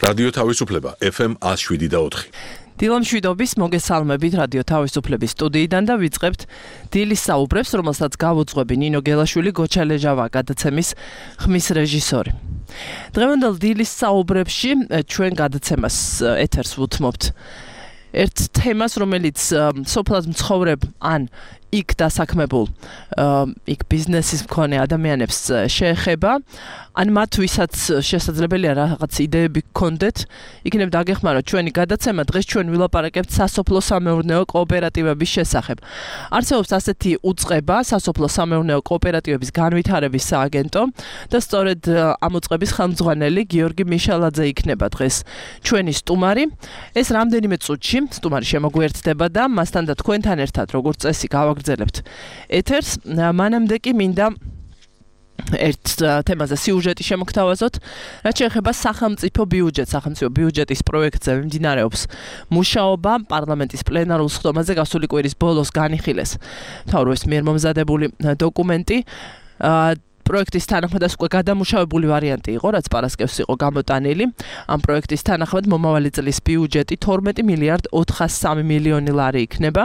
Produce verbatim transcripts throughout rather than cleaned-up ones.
რადიო თავისუფლება ეფ ემ one oh seven point four. დილა მშვიდობის მოგესალმებით რადიო თავისუფლების სტუდიიდან და ვიწყებთ დილის საუბრებს, რომელსაც გავუძღვები ნინო გელაშვილი, გოჩა ლეჟავა გადაცემის ხმის რეჟისორი. დღევანდელ დილის საუბრებში ჩვენ გადაცემას ეთერს ვუთმობთ ერთ თემას, რომელიც სოფლად მცხოვრებ ან იქ დასაქმებულ იქ ბიზნესის მქონე ადამიანებს შეეხება, ან მათ ვისაც შესაძლებელია რაღაც იდეები გქონდეთ, იქნებ დაგეხმაროთ ჩვენი გადაცემა. დღეს ჩვენ ვილაპარაკებთ სასოფლო სამეურნეო კოოპერატივების შესახებ. არსებობს ასეთი უწყება, სასოფლო სამეურნეო კოოპერატივების განვითარების სააგენტო და სწორედ ამ უწყების ხელმძღვანელი გიორგი მიშალაძე იქნება დღეს ჩვენი სტუმარი. ეს რამდენიმე წუთში სტუმარი შემოგვიერთდება და მასთან და თქვენთან ერთად როგორც წესი გავაგრძელებთ ეთერს. მანამდე კი მინდა ერთ თემაზე სიუჟეტი შემოგთავაზოთ, რაც შეეხება სახელმწიფო ბიუჯეტს. სახელმწიფო ბიუჯეტის პროექტზე მიმდინარეობს მუშაობა. პარლამენტის პლენარულ სხდომაზე გასული კვირის ბოლოს განიხილეს მთავრობის მიერ მომზადებული დოკუმენტი. პროექტის თანახმად უკვე გადამუშავებული ვარიანტი იყო, რაც პარასკევს იყო გამოტანილი. ამ პროექტის თანახმად მომავალი წლის ბიუჯეტი თორმეტი მილიარდ ოთხასი სამი მილიონი ლარი იქნება.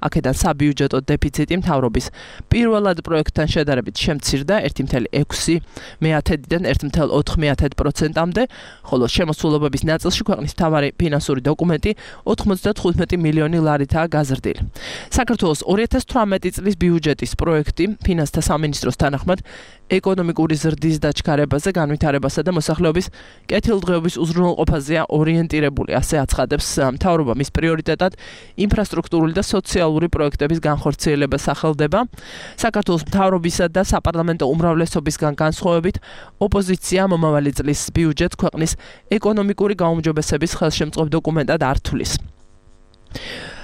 აქედან საბიუჯეტო დეფიციტი მთავრობის პირველად პროექტთან შედარებით შემცირდა ერთი კoma ექვსი მეათედიდან ერთი კoma ოთხ პროცენტამდე, ხოლო შემოსულობების ნაწილში ქვეყნის მთავარი ფინანსური დოკუმენტი ოთხმოცდათხუთმეტი მილიონი ლარითაა გაზრდილი. საქართველოს ორი ათას თვრამეტი წლის ბიუჯეტის პროექტი ფინანსთა სამინისტროს თანახმად ეკონომიკური ზრდის დაჩქარებაზე, განვითარებასა და მოსახლეობის კეთილდღეობის უზრუნველყოფაზეა ორიენტირებული, ასე აცხადებს მთავრობა. მის პრიორიტეტად ინფრასტრუქტურული და სოციალური პროექტების განხორციელება სახელდება. საქართველოს მთავრობისა და საპარლამენტო უმრავლესობისგან განსხვავებით, ოპოზიცია მომავალი წლის ბიუჯეტს ქვეყნის ეკონომიკური გაუმჯობესების ხელშემწყობ დოკუმენტად არ თვლის.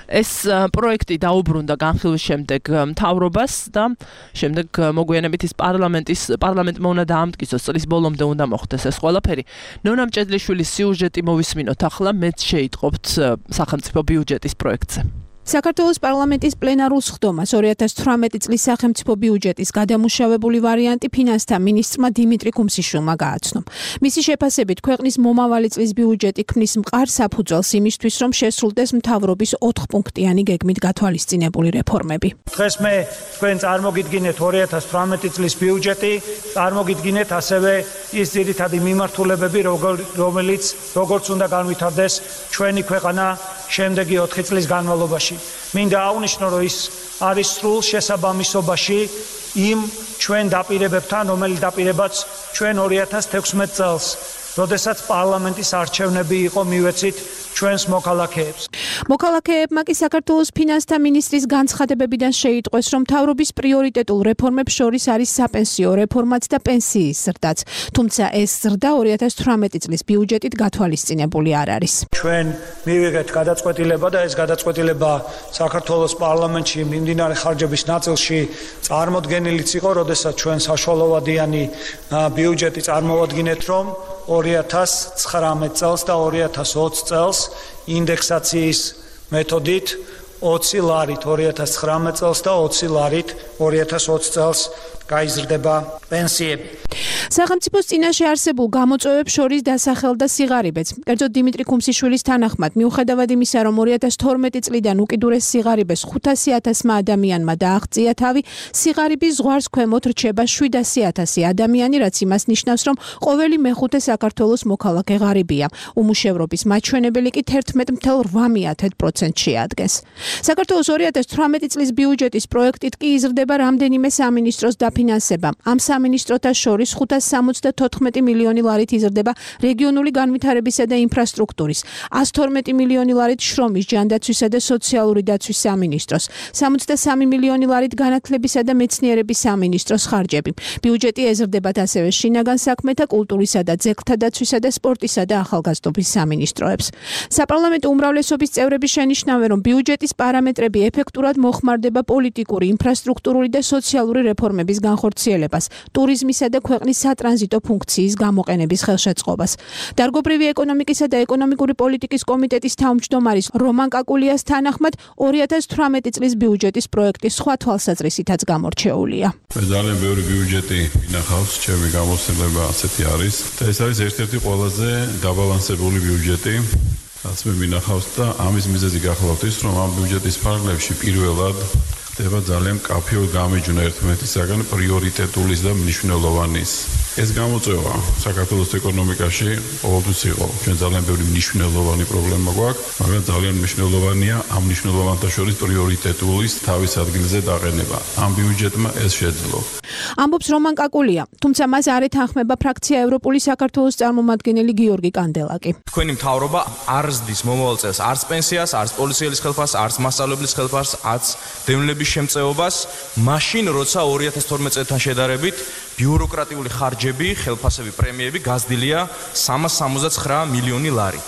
ეს პროექტი დაუბრუნდა განხილვის შემდეგ მთავრობას და შემდეგ მოგვიანებით ის პარლამენტის პარლამენტმა უნდა დაამტკიცოს, წლის ბოლომდე უნდა მოხდეს ეს ყველაფერი. ნონა მჭედლიშვილის სიუჟეტი მოვისმინოთ ახლა, მეც შეიტყობთ სახელმწიფო ბიუჯეტის პროექტზე. საქართველოს პარლამენტის პლენარულ სხდომას ორი ათას თვრამეტი წლის სახელმწიფო ბიუჯეტის გადამუშავებული ვარიანტი ფინანსთა მინისტრმა დიმიტრი კუმსიშვილმა გააცნო. მისი შეფასებით, ქვეყნის მომავალი წლის ბიუჯეტი ქმნის მყარ საფუძველს იმისთვის, რომ შესრულდეს მთავრობის ოთხპუნქტიანი გეგმით გათვალისწინებული რეფორმები. დღეს მე თქვენ წარმოგიდგინეთ ორი ათას თვრამეტი წლის ბიუჯეტი, წარმოგიდგინეთ ასევე ის ძირითადი მიმართულებები, რომელიც როგორც უნდა განვითარდეს ჩვენი ქვეყანა შემდეგი ოთხი წლის განმავლობაში. მინდა აღვნიშნო, რომ ის არის სრულ შესაბამისობაში იმ ჩვენ დაპირებებთან, რომელიც დაპირებაც ჩვენ ორი ათას თექვსმეტ წელს, როდესაც პარლამენტის არჩევნები იყო მივეცით ჩვენს მოქალაქეებს. მოქალაქეებმა კი საქართველოს ფინანსთა მინისტრის განცხადებებიდან შეიტყვეს, რომ მთავრობის პრიორიტეტულ რეფორმებს შორის არის საპენსიო რეფორმაც და პენსიის ზრდაც. თუმცა ეს ზრდა ორი ათას თვრამეტი წლის ბიუჯეტით გათვალისწინებული არ არის. ჩვენ მივიღეთ გადაწყვეტილება და ეს გადაწყვეტილება საქართველოს პარლამენტში მიმდინარე ხარჯების ნაწილში წარმოდგენილიც იყო, როდესაც ჩვენ საშუალოვადიანი ბიუჯეტი წარმოვადგინეთ, რომ ორი ათას ცხრამეტ წელს და ორი ათას ოცი წელს ინდექსაციის მეთოდით ოცი ლარით ორი ათას ცხრამეტ წელს და ოცი ლარით ორი ათას ოცი წელს გაიზრდება პენსიები. სახელმწიფოს წინაშე არსებულ გამოწვევებს შორის დასახელდა სიღარიბეც. კერძოდ დიმიტრი კუმსიშვილის თანახმად, მიუხედავად იმისა, რომ ორი ათას თორმეტი წლიდან უკიდურეს სიღარიბეს ხუთასი ათასმა ადამიანმა დააღწია თავი, სიღარიბის ზღვარს ქვემოთ რჩება შვიდასი ათასი ადამიანი, რაც იმას ნიშნავს, რომ ყოველი მეხუთე საქართველოს მოქალაქე ღარიბია. უმუშევრობის მაჩვენებელი კი თერთმეტ კoma ოთხ პროცენტს შეადგენს. საქართველოს ორი ათას თვრამეტი წლის ბიუჯეტის პროექტით კი იზრდება რამდენიმე სამინისტროს დაფინანსება. ამ სამინისტროთა შორის ხუთასი სამოცდათოთხმეტი მილიონი ლარით იზრდება რეგიონული განვითარებისა და ინფრასტრუქტურის, ასი თორმეტი მილიონი ლარით შრომის, ჯანდაცვისა და სოციალური დაცვის სამინისტროს, სამოცდასამი მილიონი ლარით განათლებისა და მეცნიერების სამინისტროს ხარჯები. ბიუჯეტი ეზრდებათ ასევე შინაგან საქმეთა, კულტურისა და ძეგლთა დაცვისა და სპორტისა და ახალგაზრდობის სამინისტროებს. საპარლამენტო უმრავლესობის წევრები შენიშნავენ, რომ ბიუჯეტის პარამეტრები ეფექტურად მოხმარდება პოლიტიკური, ინფრასტრუქტურული და სოციალური რეფორმების განხორციელებას, ტურიზმისა და ქვეყნის სატრანზიტო ფუნქციის გამოყენების ხელშეწყობას. დარგობრივი ეკონომიკისა და ეკონომიკური პოლიტიკის კომიტეტის თავმჯდომარის რომან კაკულიას თანახმად ორი ათას თვრამეტი წლის ბიუჯეტის პროექტი სხვა თვალსაზრისითაც გამორჩეულია. ძალიან ბევრი ბიუჯეტი ინახავს, ჩემი გამოცდილება ასეთი არის და ეს არის ერთ-ერთი ყველაზე დაბალანსებული ბიუჯეტი, რაც მე მინახავს და ამის მიზეზი გახლავთ ის, რომ ამ ბიუჯეტის ფარგლებში პირველად ხდება ძალიან მკაფიო გამიჯვნა ერთმანეთისაგან პრიორიტეტულის და მნიშვნელოვანის. ეს გამოწვევა საქართველოს ეკონომიკაში ყოველთვის იყო. ჩვენ ძალიან ბევრი მნიშვნელოვანი პრობლემა გვაქვს, მაგრამ ძალიან მნიშვნელოვანია ამ მნიშვნელოვანთა შორის პრიორიტეტულის თავის ადგილზე დაყენება. ამ ბიუჯეტმა ეს შეძლო. ამბობს რომან კაკულია, თუმცა მას არ ეთანხმება ფრაქცია ევროპული საქართველოს წარმომადგენელი გიორგი კანდელაკი. თქვენი მთავრობა არ ზრდის მომავალ წელს არც პენსიას, არც პოლიციელის ხელფასს, არც მასწავლებლის ხელფასს, არც დევნილების შემწეობას, მაშინ როცა ორი ათას თორმეტ წელთან შედარებით ბიუროკრატიული ხარჯები, ხელფასები, პრემიები გაზრდილია სამას სამოცდა ცხრა მილიონი ლარით.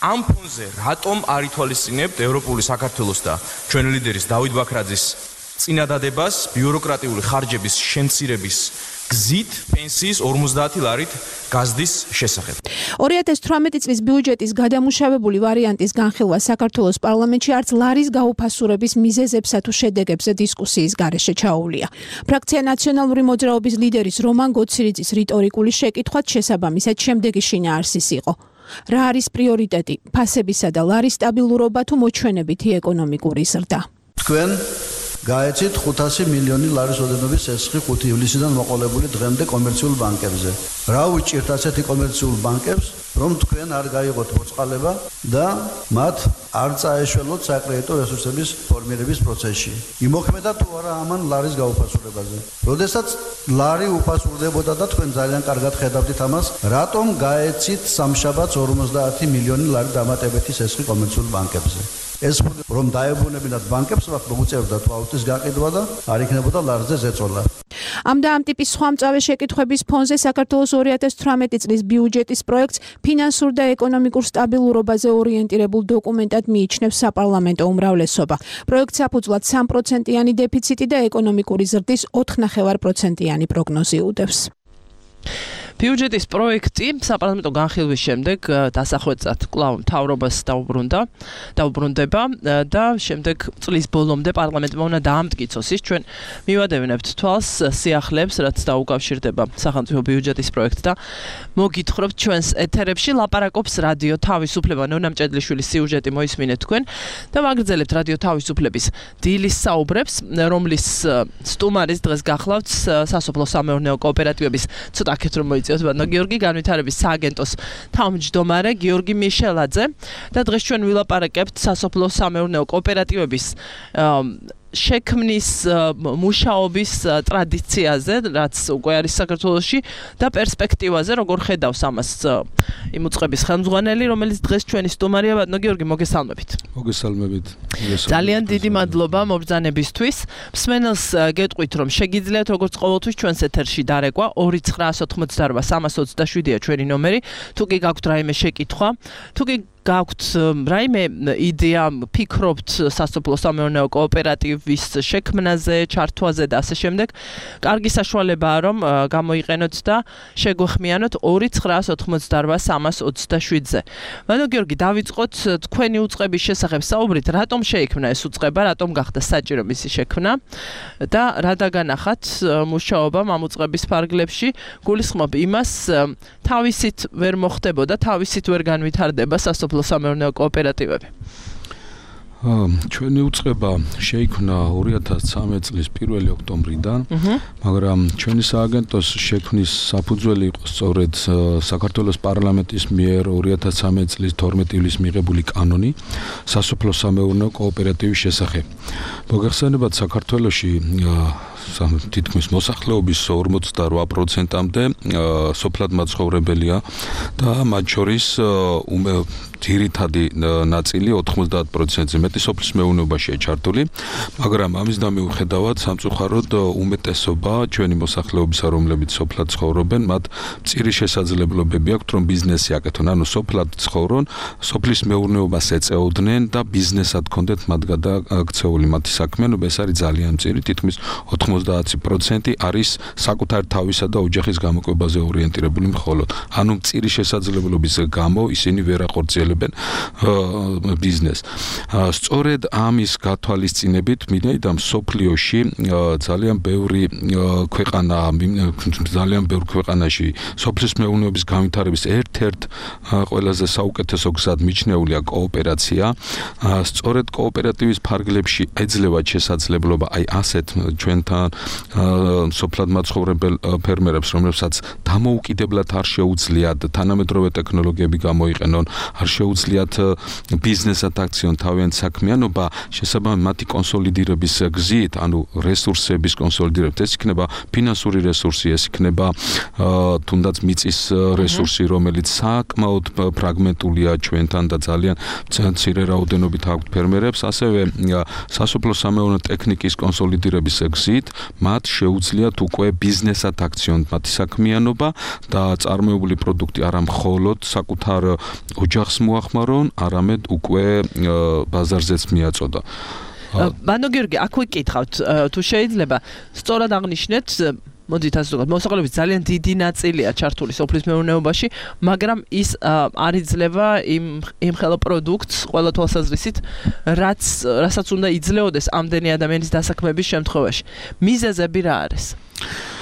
ამ ფონზე რატომ არ ითვალისწინებთ ევროპული საქართველოს და ჩვენი ლიდერის დავით ბაქრაძის წინადადებას ბიუროკრატიული ხარჯების შემცირების გზით პენსიის ორმოცდაათი ლარით გაზრდის შესახებ. ორი ათას თვრამეტი წლის ბიუჯეტის გადამუშავებული ვარიანტის განხილვა საქართველოს პარლამენტში არც ლარის გაუფასურების მიზეზებსა თუ შედეგებზე დისკუსიის გარეშე ჩაუვლია. ფრაქცია ნაციონალური მოძრაობის ლიდერის რომან გოცირიძის რიტორიკული შეკითხვაც შესაბამისად შემდეგი შინაარსის იყო. რა არის პრიორიტეტი, ფასებისა და ლარის სტაბილურობა თუ მოჩვენებითი ეკონომიკური ზრდა? თქვენ გაეცით ხუთასი მილიონი ლარის ოდენობის სესხი ხუთი ივლისიდან მოყოლებული დღემდე კომერციულ ბანკებზე. რა უჭირთ ასეთი კომერციულ ბანკებს, რომ თქვენ არ გაიღოთ მოწყალება და მათ არ წაეშველოთ საკრედიტო რესურსების ფორმირების პროცესში. იმოქმედა თუ არა ამან ლარის გაუფასურებაზე. როდესაც ლარი უფასურდებოდა და თქვენ ძალიან კარგად ხედავდით ამას, რატომ გაეცით სამშაბათს ორმოცდაათი მილიონი ლარი დამატებითი სესხი კომერციულ ბანკებზე? ეს რომ დაებრუნებინათ ბანკებს, მათ მოუწევდა ვალუტის გაყიდვა და არ იქნებოდა ლარზე ზეწოლა. ამ და ამ ტიპის სხვა მწავე შეკითხვების ფონზე საქართველოს ორი ათას თვრამეტი წლის ბიუჯეტის პროექტს ფინანსურ და ეკონომიკურ სტაბილურობაზე ორიენტირებულ დოკუმენტად მიიჩნევს საპარლამენტო უმრავლესობა. პროექტს საფუძვლად სამი პროცენტიანი დეფიციტი და ეკონომიკური ზრდის ოთხ ნახევარ პროცენტიანი პროგნოზი უდევს. ბიუჯეტის პროექტი საპარლამენტო განხილვის შემდეგ დასახვეწად კვლავ მთავრობას დაუბრუნდა, დაუბრუნდება და შემდეგ წლის ბოლომდე პარლამენტმა უნდა დაამტკიცოს ის. ჩვენ მივადევნებთ თვალს სიახლეებს, რაც დაუკავშირდება სახელმწიფო ბიუჯეტის პროექტს და მოგითხრობთ ჩვენს ეთერებში ლაპარაკობს რადიო თავისუფლება. ნონა მჭედლიშვილის სიუჟეტი მოისმინეთ თქვენ და ვაგრძელებთ რადიო თავისუფლების დილის საუბრებს, რომლის სტუმარის დღეს გახლავთ სასოფლო სამეურნეო კოოპერატივების ცოტა აქეთ რომ ბატონო გიორგი განვითარების სააგენტოს თავმჯდომარე გიორგი მიშელაძე და დღეს ჩვენ ვილაპარაკებთ სასოფლო სამეურნეო კოოპერატივების შექმნის მუშაობის ტრადიციაზე, რაც უკვე არის საქართველოში და პერსპექტივაზე, როგორ ხედავს ამას იმ უწყების ხელმძღვანელი, რომელიც დღეს ჩვენი სტუმარია. ბატონო გიორგი, მოგესალმებით. მოგესალმებით. ძალიან დიდი მადლობა მობრძანებისთვის. მსმენელს გეტყვით, რომ შეგიძლიათ როგორც ყოველთვის ჩვენს ეთერში დარეკვა ორი ცხრაას ოცდაოთხ სამას ოცდაშვიდია ჩვენი ნომერი. თუ კი გაქვთ რაიმე შეკითხვა, თუ კი გაქვთ რაიმე იდეა, ფიქრობთ სასოფლო სამეურნეო კოოპერატივის შექმნაზე, ჩართვაზე და ასე შემდეგ, კარგი საშუალებაა რომ გამოიყენოთ და შეგვეხმიანოთ ორი ცხრაას ოცდაოთხ სამას ოცდაშვიდზე. ბატონო გიორგი, დავიწყოთ თქვენი უწყების შესახებ საუბრით, რატომ შეიქმნა ეს უწყება, რატომ გახდა საჭირო მისი შექმნა და რა დაგანახათ მუშაობამ ამ უწყების ფარგლებში. გულისხმობ იმას, თავისით ვერ მოხდებოდა, თავისით ვერ განვითარდება სასოფლო სამეურნეო კოოპერატივები. ჩვენი უწყება შეიქმნა ორი ათას ცხრამეტ წლის პირველი ოქტომბრიდან, მაგრამ ჩვენი სააგენტოს შექმნის საფუძველი იყო სწორედ საქართველოს პარლამენტის მიერ ორი ათას ცხრამეტ წლის თორმეტი ივლისს მიღებული კანონი სასოფლო სამეურნეო კოოპერატივის შესახებ. მოგეხსენებათ, საქართველოში თითქმის მოსახლეობის ორმოცდარვა პროცენტამდე სოფლად მაცხოვრებელია და მათ შორის ძირითადი ნაწილი ოთხმოცდაათ პროცენტზე მეტი სოფლის მეურნეობაშია ჩართული, მაგრამ ამის დამოუხედავად სამწუხაროდ უმეტესობა ჩვენი მოსახლეობისა, რომლებიც სოფლად ცხოვრობენ, მათ მწირი შესაძლებლობები აქვთ, რომ ბიზნესი აკეთონ, ანუ სოფლად ცხოვრონ, სოფლის მეურნეობას ეწეოდნენ და ბიზნესად კონდეთ მათ გადაქცეული მათი საქმიანობა. ეს არის ძალიან მწირი, თითქმის ოთხმოცდაათ ოცდაათი პროცენტი არის საკუთარი თავისა და ოჯახის გამოკვებაზე ორიენტირებული მხოლოდ. ანუ მწირი შესაძლებლობის გამო ისინი ვერ ახორციელებენ ბიზნესს. სწორედ ამის გათვალისწინებით მინდა მსოფლიოში ძალიან ბევრი ქვეყანა ძალიან ბევრ ქვეყანაში სოფლის მეურნეობის განვითარების ერთ-ერთ ყველაზე საუკეთესო გზად მიჩნეულია კოოპერაცია. სწორედ კოოპერატივის ფარგლებში ეძლევა შესაძლებლობა აი ასეთ ჩვენთან სოფლად მაცხოვრებელ ფერმერებს, რომლებსაც დამოუკიდებლად არ შეუძლიათ თანამედროვე ტექნოლოგიები გამოიყენონ, არ შეუძლიათ ბიზნესად აქციონ თავიანთ საქმიანობა, შესაბამისად მათი კონსოლიდირების გზით, ანუ რესურსების კონსოლიდირებით, ეს იქნება ფინანსური რესურსი, ეს იქნება თუნდაც მიწის რესურსი, რომელიც საკმაოდ ფრაგმენტულია ჩვენთან და ძალიან მცირე რაოდენობით აქვთ ფერმერებს, ასევე სასოფლო-სამეურნეო ტექნიკის კონსოლიდირების გზით მათ შეუძლიათ უკვე ბიზნესად აქციონ მათი საქმიანობა და წარმოებული პროდუქტი არა მხოლოდ საკუთარ ოჯახს მოახმარონ, არამედ უკვე ბაზარზეც მიაწოდა. ბანო გიორგი, აქ ვიკითხავთ, თუ შეიძლება სწორად აღნიშნეთ მოდით ასე ვთქვათ, მოსახლეობის ძალიან დიდი ნაწილია ჩართული სოფლის მეურნეობაში, მაგრამ ის არ იძლევა იმ იმ ხელო პროდუქტს ყველა თვალსაზრისით, რაც რასაც უნდა იძლეოდეს ამდენი ადამიანის დასაქმების შემთხვევაში. მიზეზები რა არის?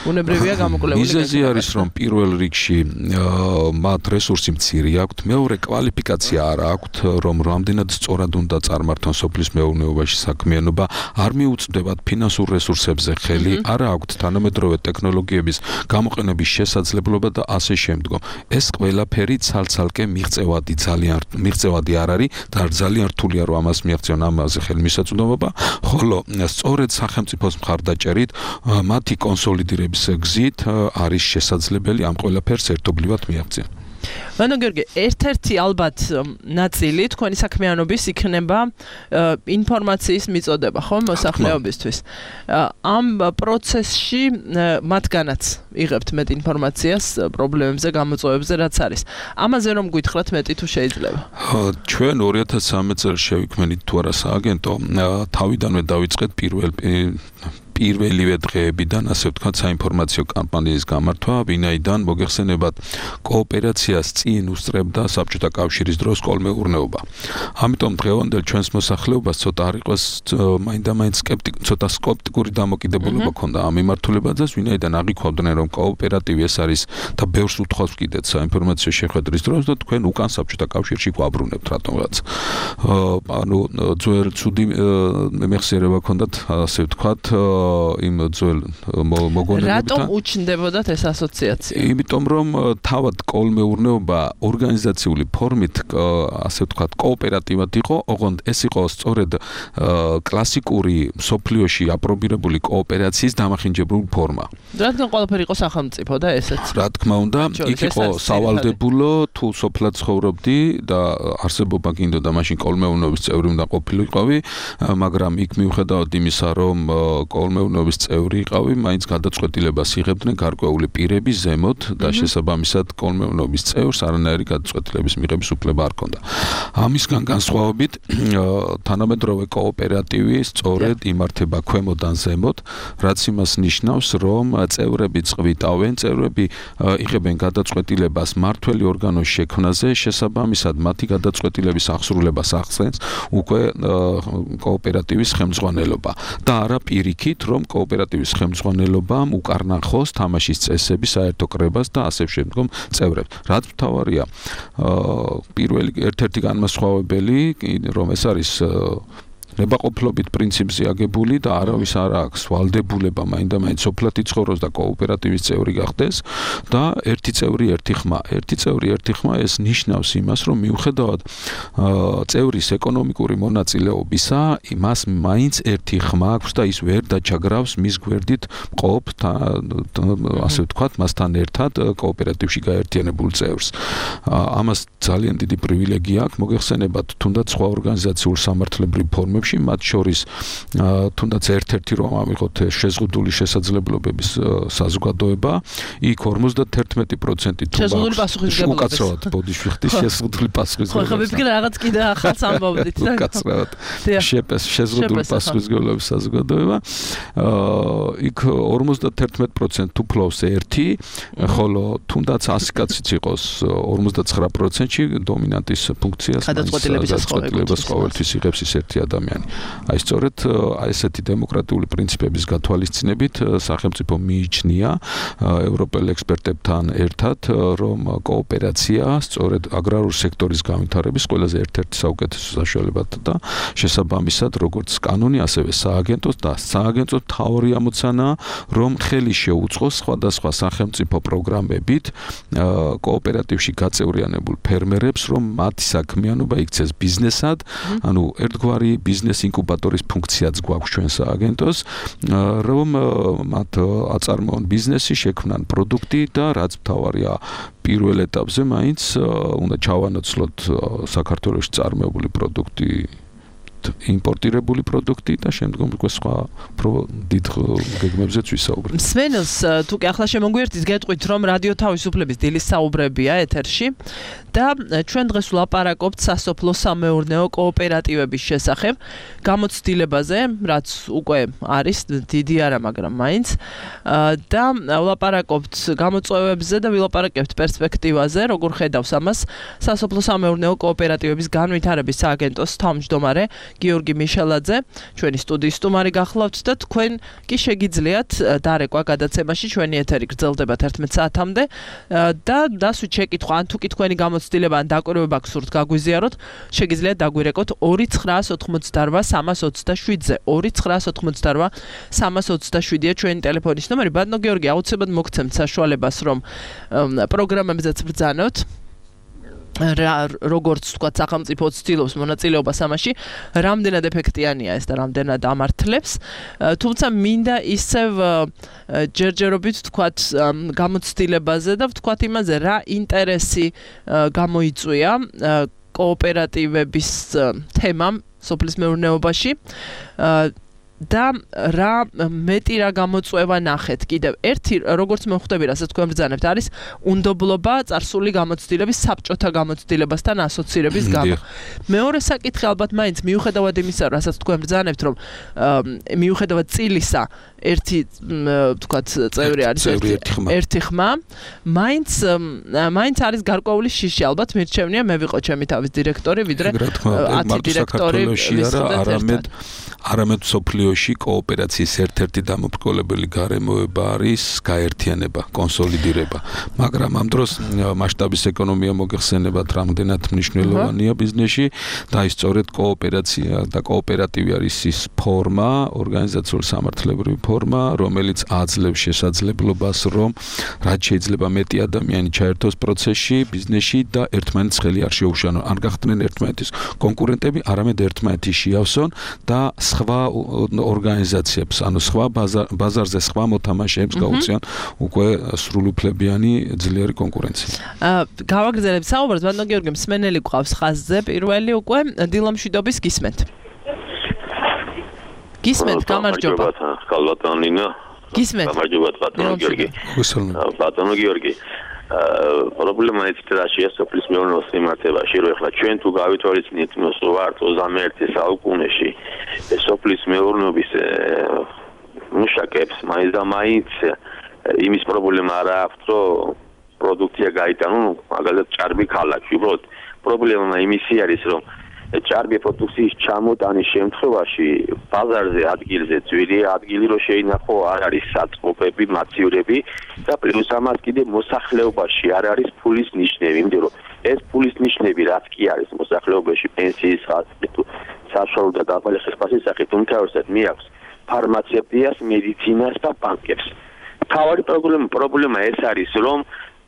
უნებრივია გამოკვლეული. მიზეზი არის, რომ პირველ რიგში მათ რესურსი მცირე აქვთ, მეორე კვალიფიკაცია არ აქვთ, რომ რამდენად სწორად უნდა წარმართონ სოფლის მეურნეობაში საქმიანობა, არ მიუწვდებათ ფინანსურ რესურსებზე ხელი, არ აქვთ თანამედროვე ტექნოლოგიების გამოყენების შესაძლებლობა და ასე შემდგომ. ეს ყველაფერი ცალ-ცალკე მიღწევადი ძალიან მიღწევადი არ არის და ძალიან რთულია რომ ამას მიაღწიონ ამაზე ხელმისაწვდომობა, ხოლო სწორედ სახელმწიფოს მხარდაჭერით მათი კონსოლიდირების გზით არის შესაძლებელი ამ ყველაფერს ერთობლივად მიაღწიონ. ბანო გიორგი, ერთ-ერთი ალბათ ნაწილი თქვენი საქმიანობის იქნება ინფორმაციის მიწოდება, ხო, მოსახლეობისთვის. ამ პროცესში მათგანაც იღებთ მეტ ინფორმაციას პრობლემებზე, გამოწვევებზე, რაც არის. ამაზე რომ გითხრათ მეტი თუ შეიძლება. ჩვენ ორი ათას სამი წელს შევიქმნით თუ არა სააგენტო, თავიდანვე დავიწყეთ პირველ პირველივე დღეებიდან, ასე ვთქვათ, საინფორმაციო კამპანიის გამართვა, ვინაიდან მოგეხსენებათ კოოპერაციას წინ უსწრებდა საბჭოთა კავშირის დროს კოლმეურნეობა. ამიტომ დღევანდელ ჩვენს მოსახლეობას ცოტა არ იყოს მაინდა-მაინც სკეპტიკ, ცოტა სკეპტიკური დამოკიდებულება ქონდა ამ მიმართულებაზე, ვინაიდან აღიქვამდნენ, რომ კოოპერატივი ეს არის და ბევრს უთხოვს კიდეც საინფორმაციო შეხვედრის დროს და თქვენ უკან საბჭოთა კავშირში გვაბრუნებთ რატომღაც. ანუ ძველ ცუდი მეხსიერება ქონდათ, ასე ვთქვათ, იმ ძველ მოგონებებთან. რატომ უჩნდებოდათ ეს ასოციაცია? იმიტომ რომ თავად კოლმეურნეობა ორგანიზაციული ფორმით, ასე ვთქვათ, კოოპერატივად იყო, ოღონდ ეს იყო სწორედ კლასიკური მსოფლიოში აპრობირებული კოოპერაციის დამახინჯებული ფორმა. რადგან ყველაფერი იყო სახელმწიფო და ესეც. რა თქმა უნდა, იქ იყო სავალდებულო, თუ სოფლად ცხოვრობდი და არსებობა გინდოდა მაშინ კოლმეურნეობის წევრი უნდა ყოფილიყავი, მაგრამ იქ მიუხედავად იმისა, რომ კოლმეურნეობის წევრი იყავი, მაინც გადაწყვეტილებას იღებდნენ გარკვეული პირები ზემოთ და შესაბამისად კოლმეურნეობის წევრს არანაირი გადაწყვეტილების მიღების უფლება არ ჰქონდა. ამისგან განსხვავებით, თანამედროვე კოოპერატივი სწორედ იმართება ქვემოდან ზემოთ, რაც იმას ნიშნავს, რომ წევრები წვიტავენ, წევრები იღებენ გადაწყვეტილებას მმართველი ორგანოს შექმნაზე, შესაბამისად მათი გადაწყვეტილების აღსრულებას ახსენს უკვე კოოპერატივის ხელმძღვანელობა და არა პირიქით, რომ კოოპერატივის ხელმძღვანელობამ უკარნახოს თამაშის წესები, საერთო კრებას და ასე შემდგომ წევრებს. რაც მთავარია, პირველი ერთ-ერთი განმასხვავებელი, რომ ეს არის ნებაყოფლობით პრინციპზე აგებული და არავის არ აქვს ვალდებულება მაინდა-მაინც სოფლად იცხოვროს და კოოპერატივის წევრი გახდეს და ერთი წევრი ერთი ხმა. ერთი წევრი ერთი ხმა ეს ნიშნავს იმას, რომ მიუხედავად წევრის ეკონომიკური მონაწილეობისა, მას მაინც ერთი ხმა აქვს და ის ვერ დაჩაგრავს მის გვერდით მყოფ, ასე ვთქვათ, მასთან ერთად კოოპერატივში გაერთიანებულ წევრს. ამას ძალიან დიდი პრივილეგია აქვს, მოგეხსენებათ, თუნდაც სხვა ორგანიზაციულ სამართლებრივ ფორმებში პროგრამებში, მათ შორის თუნდაც ერთ-ერთი რომ ამიღოთ შეზღუდული შესაძლებლობების საზოგადოება, იქ ორმოცდათერთმეტი პროცენტი თუ შეზღუდული პასუხისმგებლობების უკაცრავად ბოდიში ვიხდი შეზღუდული პასუხისმგებლობების. ხო, ხა რაღაც კიდე ახალს ამბობდით და უკაცრავად შეზღუდული პასუხისმგებლობის საზოგადოება. იქ ორმოცდათერთმეტი პროცენტი თუ ფლობს ერთი, ხოლო თუნდაც ასი კაციც იყოს ორმოცდაცხრა პროცენტში დომინანტის ფუნქციას გადაწყვეტილებას ყოველთვის იღებს ის ერთი ადამიანი. აი სწორედ აი ესეთი დემოკრატიული პრინციპების გათვალისწინებით სახელმწიფო მიიჩნია ევროპელ ექსპერტებთან ერთად, რომ კოოპერაცია სწორედ აგრარული სექტორის განვითარების ყველაზე ერთ-ერთი საუკეთესო საშუალებაა და შესაბამისად როგორც კანონი, ასევე სააგენტოს და სააგენტოს მთავარი ამოცანაა, რომ ხელი შეუწყოს სხვადასხვა სახელმწიფო პროგრამებით კოოპერატივში გაწევრიანებულ ფერმერებს, რომ მათი საქმიანობა იქცეს ბიზნესად, ანუ ერთგვარი ბიზნეს ინკუბატორის ფუნქციაც გვაქვს ჩვენ სააგენტოს, რომ მათ აწარმოონ ბიზნესი, შექმნან პროდუქტი და რაც მთავარია პირველ ეტაპზე მაინც უნდა ჩავანაცვლოთ საქართველოში წარმოებული პროდუქტი იმპორტირებული პროდუქტი და შემდგომ უკვე სხვა დიდ გეგმებზეც ვისაუბრებთ. მსმენელს თუ კი ახლა შემოგვიერთით, გეტყვით, რომ რადიო თავისუფლების დილის საუბრებია ეთერში და ჩვენ დღეს ვლაპარაკობთ სასოფლო-სამეურნეო კოოპერატივების შესახებ, გამოცდილებაზე, რაც უკვე არის დიდი არა, მაგრამ მაინც და ვლაპარაკობთ გამოწვევებზე და ვილაპარაკებთ პერსპექტივაზე, როგორ ხედავს ამას სასოფლო-სამეურნეო კოოპერატივების განვითარების სააგენტოს თავმჯდომარე გიორგი მიშელაძე, ჩვენი სტუდიის სტუმარი გახლავთ და თქვენ კი შეგიძლიათ დარეკვა გადაცემაში, ჩვენი ეთერი გრძელდება თერთმეტ საათამდე და დასვით შეკითხვა, ან თუ კი თქვენი გამოცდილება ან დაკვირვება გსურთ გაგვიზიაროთ, შეგიძლიათ დაგვირეკოთ ორი ცხრაას ოცდაოთხმოცდარბა სამას ოცდაშვიდზე. ორი ცხრაას ოცდაოთხმოცდარბა სამას ოცდაშვიდია ჩვენი ტელეფონის ნომერი. ბატონო გიორგი, აუცილებლად მოგცემთ საშუალებას, რომ პროგრამებზეც ბრძანოთ. როგორც თქვა სახელმწიფო ცდილობს მონაწილეობას ამაში, რამდენად ეფექტიანია ეს და რამდენად ამართლებს, თუმცა მინდა ისევ ჯერჯერობით ვთქვათ გამოცდილებაზე და ვთქვათ იმაზე, რა ინტერესი გამოიწვია კოოპერატივების თემამ სოფლის მეურნეობაში და რა მეტი რა გამოწვევა ნახეთ. კიდევ ერთი, როგორც მე ხვდები, რასაც თქვენ ბრძანებთ, არის უნდობლობა წარსული გამოცდილების საბჭოთა გამოცდილებასთან ასოცირების გამო. მეორე საკითხი ალბათ მაინც მიუხედავად იმისა, რასაც თქვენ ბრძანებთ, რომ მიუხედავად წილისა ერთი ვთქვათ წევრი არის ერთი ხმა, მაინც მაინც არის გარკვეული შიში, ალბათ მირჩევნია მე ვიყო ჩემი თავის დირექტორი, ვიდრე ათი დირექტორი არამედ არამედ სოფლიოში კოოპერაციის ერთ-ერთი დამოუკიდებელი გარემოება არის გაერთიანება, კონსოლიდირება. მაგრამ ამ დროს მასშტაბის ეკონომია მოგეხსენებათ, რამდენად მნიშვნელოვანია ბიზნესში და ის სწორედ კოოპერაცია და კოოპერატივი არის ის ფორმა, ორგანიზაციული სამართლებრივი ფორმა, რომელიც აძლევს შესაძლებლობას, რომ რაც შეიძლება მეტი ადამიანი ჩაერთოს პროცესში, ბიზნესში და ერთმანეთს ხელი არ შეუშალონ. არ გახდნენ ერთმანეთის კონკურენტები, არამედ ერთმანეთი შეავსონ და სხვა ორგანიზაციებს, ანუ სხვა ბაზარზე სხვა მოთამაშეებს გაუწიონ უკვე სრულუფლებიანი ძლიერი კონკურენცია. გავაგრძელებთ საუბარს, ბატონო გიორგი, მსმენელი გვყავს ხაზზე, პირველი უკვე დილომშვიდობის გისმენთ. გისმენთ, გამარჯობა. ბატონო ნინა. გისმენთ. გამარჯობა ბატონო გიორგი. ბატონო გიორგი. პრობლემა ეცეტრაშია სოფლის მეურნეობის მიმართებაში, რომ ახლა ჩვენ თუ გავითვალისწინეთ იმას, რომ ვართ ოცდამეერთე საუკუნეში სოფლის მეურნეობის მუშაკებს მაინც და მაინც იმის პრობლემა არ აქვს, რომ პროდუქცია გაიტანონ, მაგალითად ჭარბი ქალაქში. უბრალოდ პრობლემა იმისი არის, რომ ჭარბი პროდუქციის ჩამოტანის შემთხვევაში ბაზარზე ადგილზე ძვირი ადგილი რო შეინახო, არ არის საწყობები, მაცივრები და პლუს ამას კიდე მოსახლეობაში არ არის ფულის ნიშნები, იმიტომ რომ ეს ფულის ნიშნები რაც კი არის მოსახლეობაში პენსიის ხარჯი თუ საშუალო და დაბალი ხსპასის სახით უმთავრესად მიაქვს ფარმაცევტიას, მედიცინას და ბანკებს. თავარი პრობლემა პრობლემა ეს არის, რომ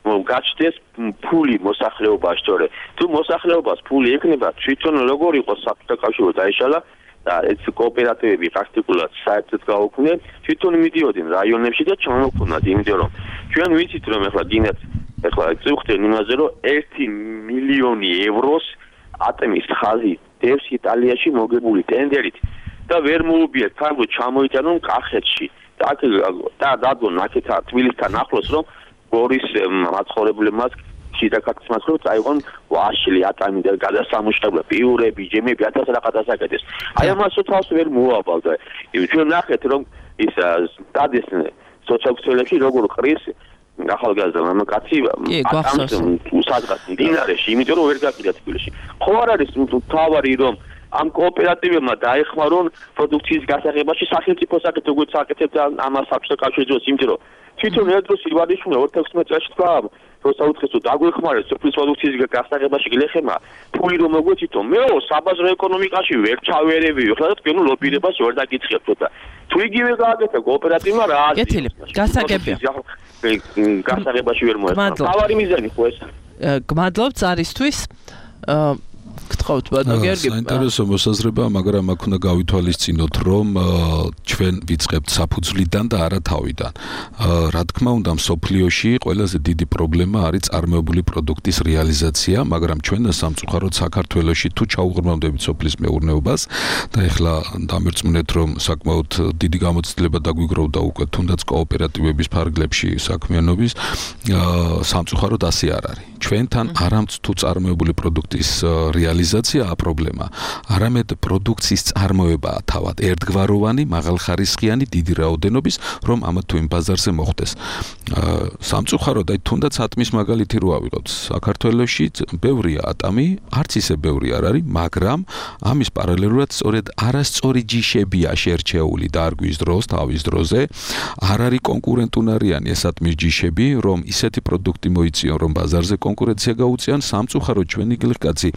გაჩნდეს ფული მოსახლეობაში, თორე თუ მოსახლეობას ფული ეკნება, თვითონ როგორ იყოს საბჭოთა კავშირი დაიშალა და ეს კოოპერატივები პრაქტიკულად საერთოდ გაუქმდნენ, თვითონ მიდიოდნენ რაიონებში და ჩამოუქმნათ, იმიტომ რომ ჩვენ ვიცით, რომ ახლა გინდათ ახლა წუხდნენ იმაზე, რომ ერთი მილიონი ევროს ატმის ხაზი დევს იტალიაში მოგებული ტენდერით და ვერ მოუბიეთ ფარგო ჩამოიტანონ კახეთში და და დადგონ აქეთ თბილისთან ახლოს რომ გორის მაცხოვრებლებმაც შიდაქალაქის მაცხოვრებლებს წაიღონ ვაშლი ატამი და გადასამუშავებლე პიურები ჯემები ათას რაღაცას აკეთეს აი ამასო თავს ვერ მოავალდა ჩვენ ნახეთ რომ ის დადეს სოციალურ როგორ ყრის ახალგაზრდა მამაკაცი ატამს უსადღაც დინარეში იმიტომ რომ ვერ გაკიდა თბილისში ხო არ არის თავარი რომ ამ კოოპერატივებმა დაეხმარონ პროდუქციის გასაღებაში სახელმწიფო საკითხი როგორც აკეთებდა ამას აქვს კავშირს იმიტომ რომ თვითონ ერთდროს ივანიშვილი ორი ათი წელს თქვა რომ საუთხეს რომ დაგვეხმარეს სოფლის პროდუქციის გასაღებაში გლეხემა ფული რომ მოგვეცითო მეო საბაზრო ეკონომიკაში ვერ ჩავერევიო ხლა და თქვენ ლობირებას ვერ დაგიწყებთ და თუ იგივე გააკეთა კოოპერატივმა რა არის კეთილი გასაგებია გასაღებაში ვერ მოეხმარა თავარი მიზანი ხო ეს გმადლობთ წარისთვის გთხოვთ ბატონო გიორგი საინტერესო მოსაზრება მაგრამ აქ უნდა გავითვალისწინოთ რომ ჩვენ ვიწყებთ საფუძვლიდან და არა თავიდან რა თქმა უნდა მსოფლიოში ყველაზე დიდი პრობლემა არის წარმოებული პროდუქტის რეალიზაცია მაგრამ ჩვენ სამწუხაროდ საქართველოში თუ ჩაუღრმავდებით სოფლის მეურნეობას და ეხლა დამერწმუნეთ რომ საკმაოდ დიდი გამოცდილება დაგვიგროვდა უკვე თუნდაც კოოპერატივების ფარგლებში საქმიანობის სამწუხაროდ ასე არ არის ჩვენთან არამც თუ წარმოებული პროდუქტის რეალიზაცია პრობლემა არამედ პროდუქციის წარმოებაა თავად ერთგვაროვანი მაღალხარისხიანი დიდი რაოდენობის რომ ამა თუ იმ ბაზარზე მოხდეს სამწუხაროდ აი თუნდაც ატმის მაგალითი რო ავიღოთ საქართველოში ბევრია ატამი არც ისე ბევრი არ არის მაგრამ ამის პარალელურად სწორედ არასწორი ჯიშებია შერჩეული დარგვის დროს თავის დროზე არ არის კონკურენტუნარიანი ეს ატმის ჯიშები რომ ისეთი პროდუქტი მოიწიონ რომ ბაზარზე კონკურენცია გაუწიონ სამწუხაროდ ჩვენი გლეხკაცი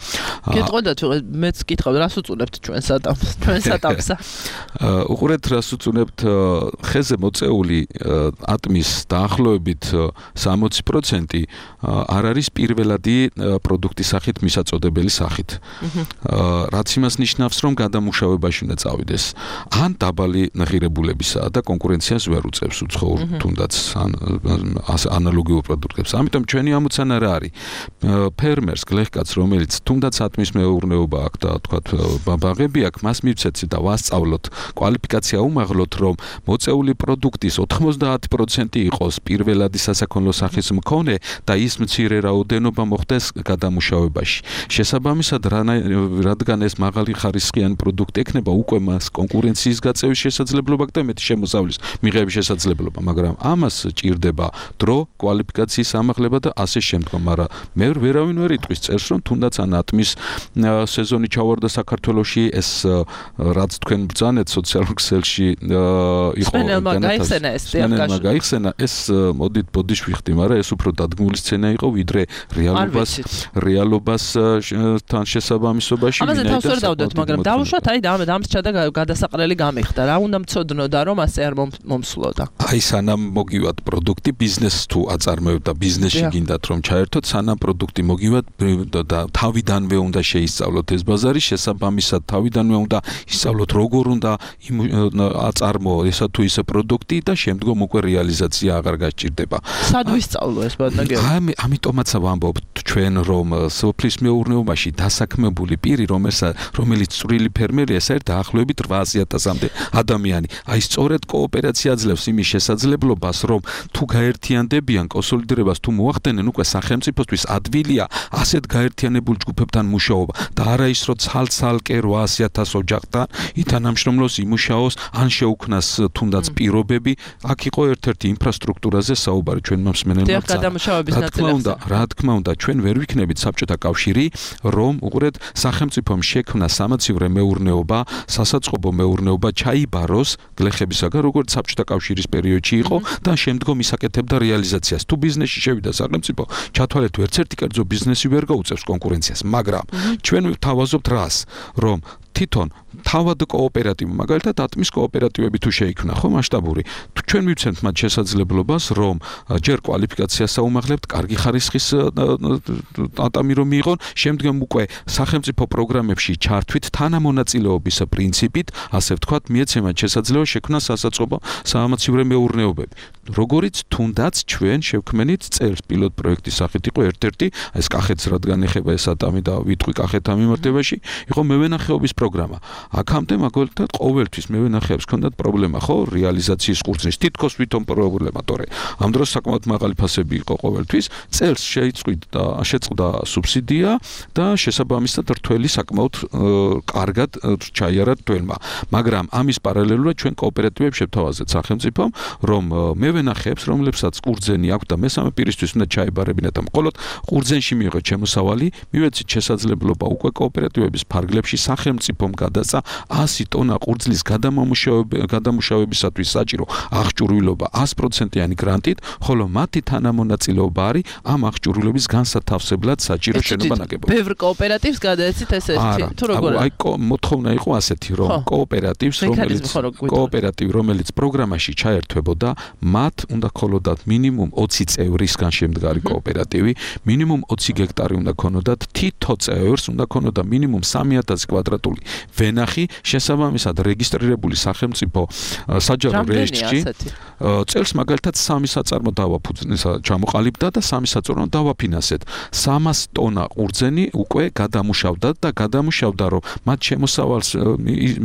გეტყოდათ მეც კითხავ რას უწუნებთ ჩვენ სატამს ჩვენ სატამსა უყურეთ რას უწუნებთ ხეზე მოწეული ატმის დაახლოებით სამოცი პროცენტი არ არის პირველადი პროდუქტის სახით მისაწოდებელი სახით რაც იმას ნიშნავს რომ გადამუშავებაში უნდა წავიდეს ან დაბალი ღირებულებისაა და კონკურენციას ვერ უწევს უცხოურ თუნდაც ანალოგიურ პროდუქტებს ამიტომ ჩვენი ამოცანა რა არის ფერმერს გლეხკაცს რომელიც თუნდაც ატმის მეურნეობა აქვს და თქვათ ბაღები აქვს მას მივცეთ და ვასწავლოთ კვალიფიკაცია უმაღლოთ რომ მოწეული პროდუქტის ოთხმოცდაათი პროცენტი იყოს პირველადი სასაქონლო სახის მქონე და ის მცირე რაოდენობა მოხდეს გადამუშავებაში შესაბამისად რადგან ეს მაღალი ხარისხიანი პროდუქტი ექნება უკვე მას კონკურენციის გაწევის შესაძლებლობა და მეტი შემოსავლის მიღების შესაძლებლობა მაგრამ ამას ჭირდება დრო კვალიფიკაციის ამაღლება და ასე შემდგომ მაგრამ მე ვერავინ ვერ იტყვის წერს რომ თუნდაც ან ატმის სეზონი ჩავარდა საქართველოში ეს რაც თქვენ ბრძანეთ სოციალურ ქსელში იყო განათასწორებელმა გაიხსენა ეს მოდით ბოდიშ ვიხდი მაგრამ ეს უფრო დადგმული სცენა იყო ვიდრე რეალობას რეალობას თან შესაბამისობაში ამაზე თავს ვერ დავდოთ მაგრამ დავუშვათ აი დამს ჩადა გადასაყრელი გამიხდა რა უნდა მცოდნოდა რომ ასე არ მომსვლოდა აი სანამ მოგივათ პროდუქტი ბიზნესს თუ აწარმოებთ და ბიზნესში გინდათ რომ ჩაერთოთ სანამ პროდუქტი მოგივათ და თავიდანვე უნდა შეისწავლოთ ეს ბაზარი შესაბამისად თავიდანვე უნდა ისწავლოთ როგორ უნდა აწარმოო ესა თუ ისე პროდუქტი და შემდგომ უკვე რეალიზაცია აღარ გასჭირდება სად ვისწავლო ეს ბატონო გიორგი ამიტომაც ვამბობთ ჩვენ რომ სოფლის მეურნეობაში დასაქმებული პირი რომელიც წვრილი ფერმერია ეს არის დაახლოებით რვაასი ათასამდე ადამიანი აი სწორედ კოოპერაცია აძლევს იმის შესაძლებლობას რომ თუ გაერთიანდებიან კონსოლიდირებას თუ მოახდენენ უკვე სახელმწიფოსთვის ადვილია ასეთ გაერთიანებულ ჯგუფებთან მუშაობა და არა ის რომ ცალ-ცალკე რვაასი ათას ოჯახთან ითანამშრომლოს იმუშაოს ან შეუქმნას თუნდაც პირობები აქ იყო ერთ-ერთი ინფრასტრუქტურაზე საუბარი ჩვენ მსმენელმა რა თქმა უნდა რა თქმა უნდა ჩვენ ვერ ვიქნებით საბჭოთა კავშირი რომ უყურეთ სახელმწიფომ შექმნა სამაცივრე მეურნეობა სასაწყობო მეურნეობა ჩაიბაროს გლეხებისაგან როგორც საბჭოთა კავშირის პერიოდში იყო და შემდგომ ისაკეთებდა რეალიზაციას თუ ბიზნესში შევიდა სახელმწიფო ჩათვალეთ ერთ ერთი კერძო ბიზნესი ვერ გაუწევს კონკურენციას მაგრამ ჩვენ ვთავაზობთ რას რომ თვითონ თავად კოოპერატივი მაგალითად ატმის კოოპერატივები თუ შეიქმნა ხო მასშტაბური ჩვენ მივცემთ მათ შესაძლებლობას რომ ჯერ კვალიფიკაციას აუმაღლებთ კარგი ხარისხის ატამი რომ მიიღონ შემდგომ უკვე სახელმწიფო პროგრამებში ჩართვით თანამონაწილეობის პრინციპით ასე ვთქვათ მიეცემათ შესაძლებლობა შექმნას სასაწყობო სამაცივრე მეურნეობები როგორიც თუნდაც ჩვენ შევქმნით წელს პილოტ პროექტის სახით იყო ერთ-ერთი ეს კახეთს რადგან ეხება ეს ატამი და ვიტყვი კახეთთან მიმართებაში იყო მევენახეობის პროგრამა. აქამდე მაგალითად ყოველთვის მევენახეებს ჰქონდათ პრობლემა, ხო, რეალიზაციის ყურძნის თითქოს ვითომ პრობლემა, თორე ამ დროს საკმაოდ მაღალი ფასები იყო ყოველთვის. წელს შეიწყვით და შეწყდა სუბსიდია და შესაბამისად რთველი საკმაოდ კარგად ჩაიარა რთველმა. მაგრამ ამის პარალელურად ჩვენ კოოპერატივებს შევთავაზეთ სახელმწიფომ, რომ მევენახეებს, რომლებსაც ყურძენი აქვს და მესამე პირისთვის უნდა ჩაებარებინათ და მხოლოდ ყურძენში მიიღოთ შემოსავალი, მივეცით შესაძლებლობა უკვე კოოპერატივების ფარგლებში სახელმწიფომ გადასცა ასი ტონა ყურძნის გადამუშავებისათვის საჭირო აღჭურვილობა ას პროცენტიანი გრანტით, ხოლო მათი თანამონაწილეობა არის ამ აღჭურვილობის განსათავსებლად საჭირო შენობა-ნაგებობა. ბევრ კოოპერატივს გადაეცით ესეთი, თუ როგორ? აი მოთხოვნა იყო ასეთი, რომ კოოპერატივს, რომელიც კოოპერატივი, რომელიც პროგრამაში ჩაერთვებოდა, მათ უნდა ქონოდათ მინიმუმ ოცი წევრისგან შემდგარი კოოპერატივი, მინიმუმ ოცი გექტარი უნდა ქონოდათ, თითო წევრს უნდა ქონოდა მინიმუმ სამი ათასი კვადრატული ვენახი, შესაბამისად რეგისტრირებული სახელმწიფო საჯარო რეესტრში წელს მაგალითად სამი საწარმო დავაფუძნეს ჩამოყალიბდა და სამი საწარმო დავაფინანსეთ. სამას ტონა ყურძენი უკვე გადამუშავდა და გადამუშავდა, რომ მათ შემოსავალს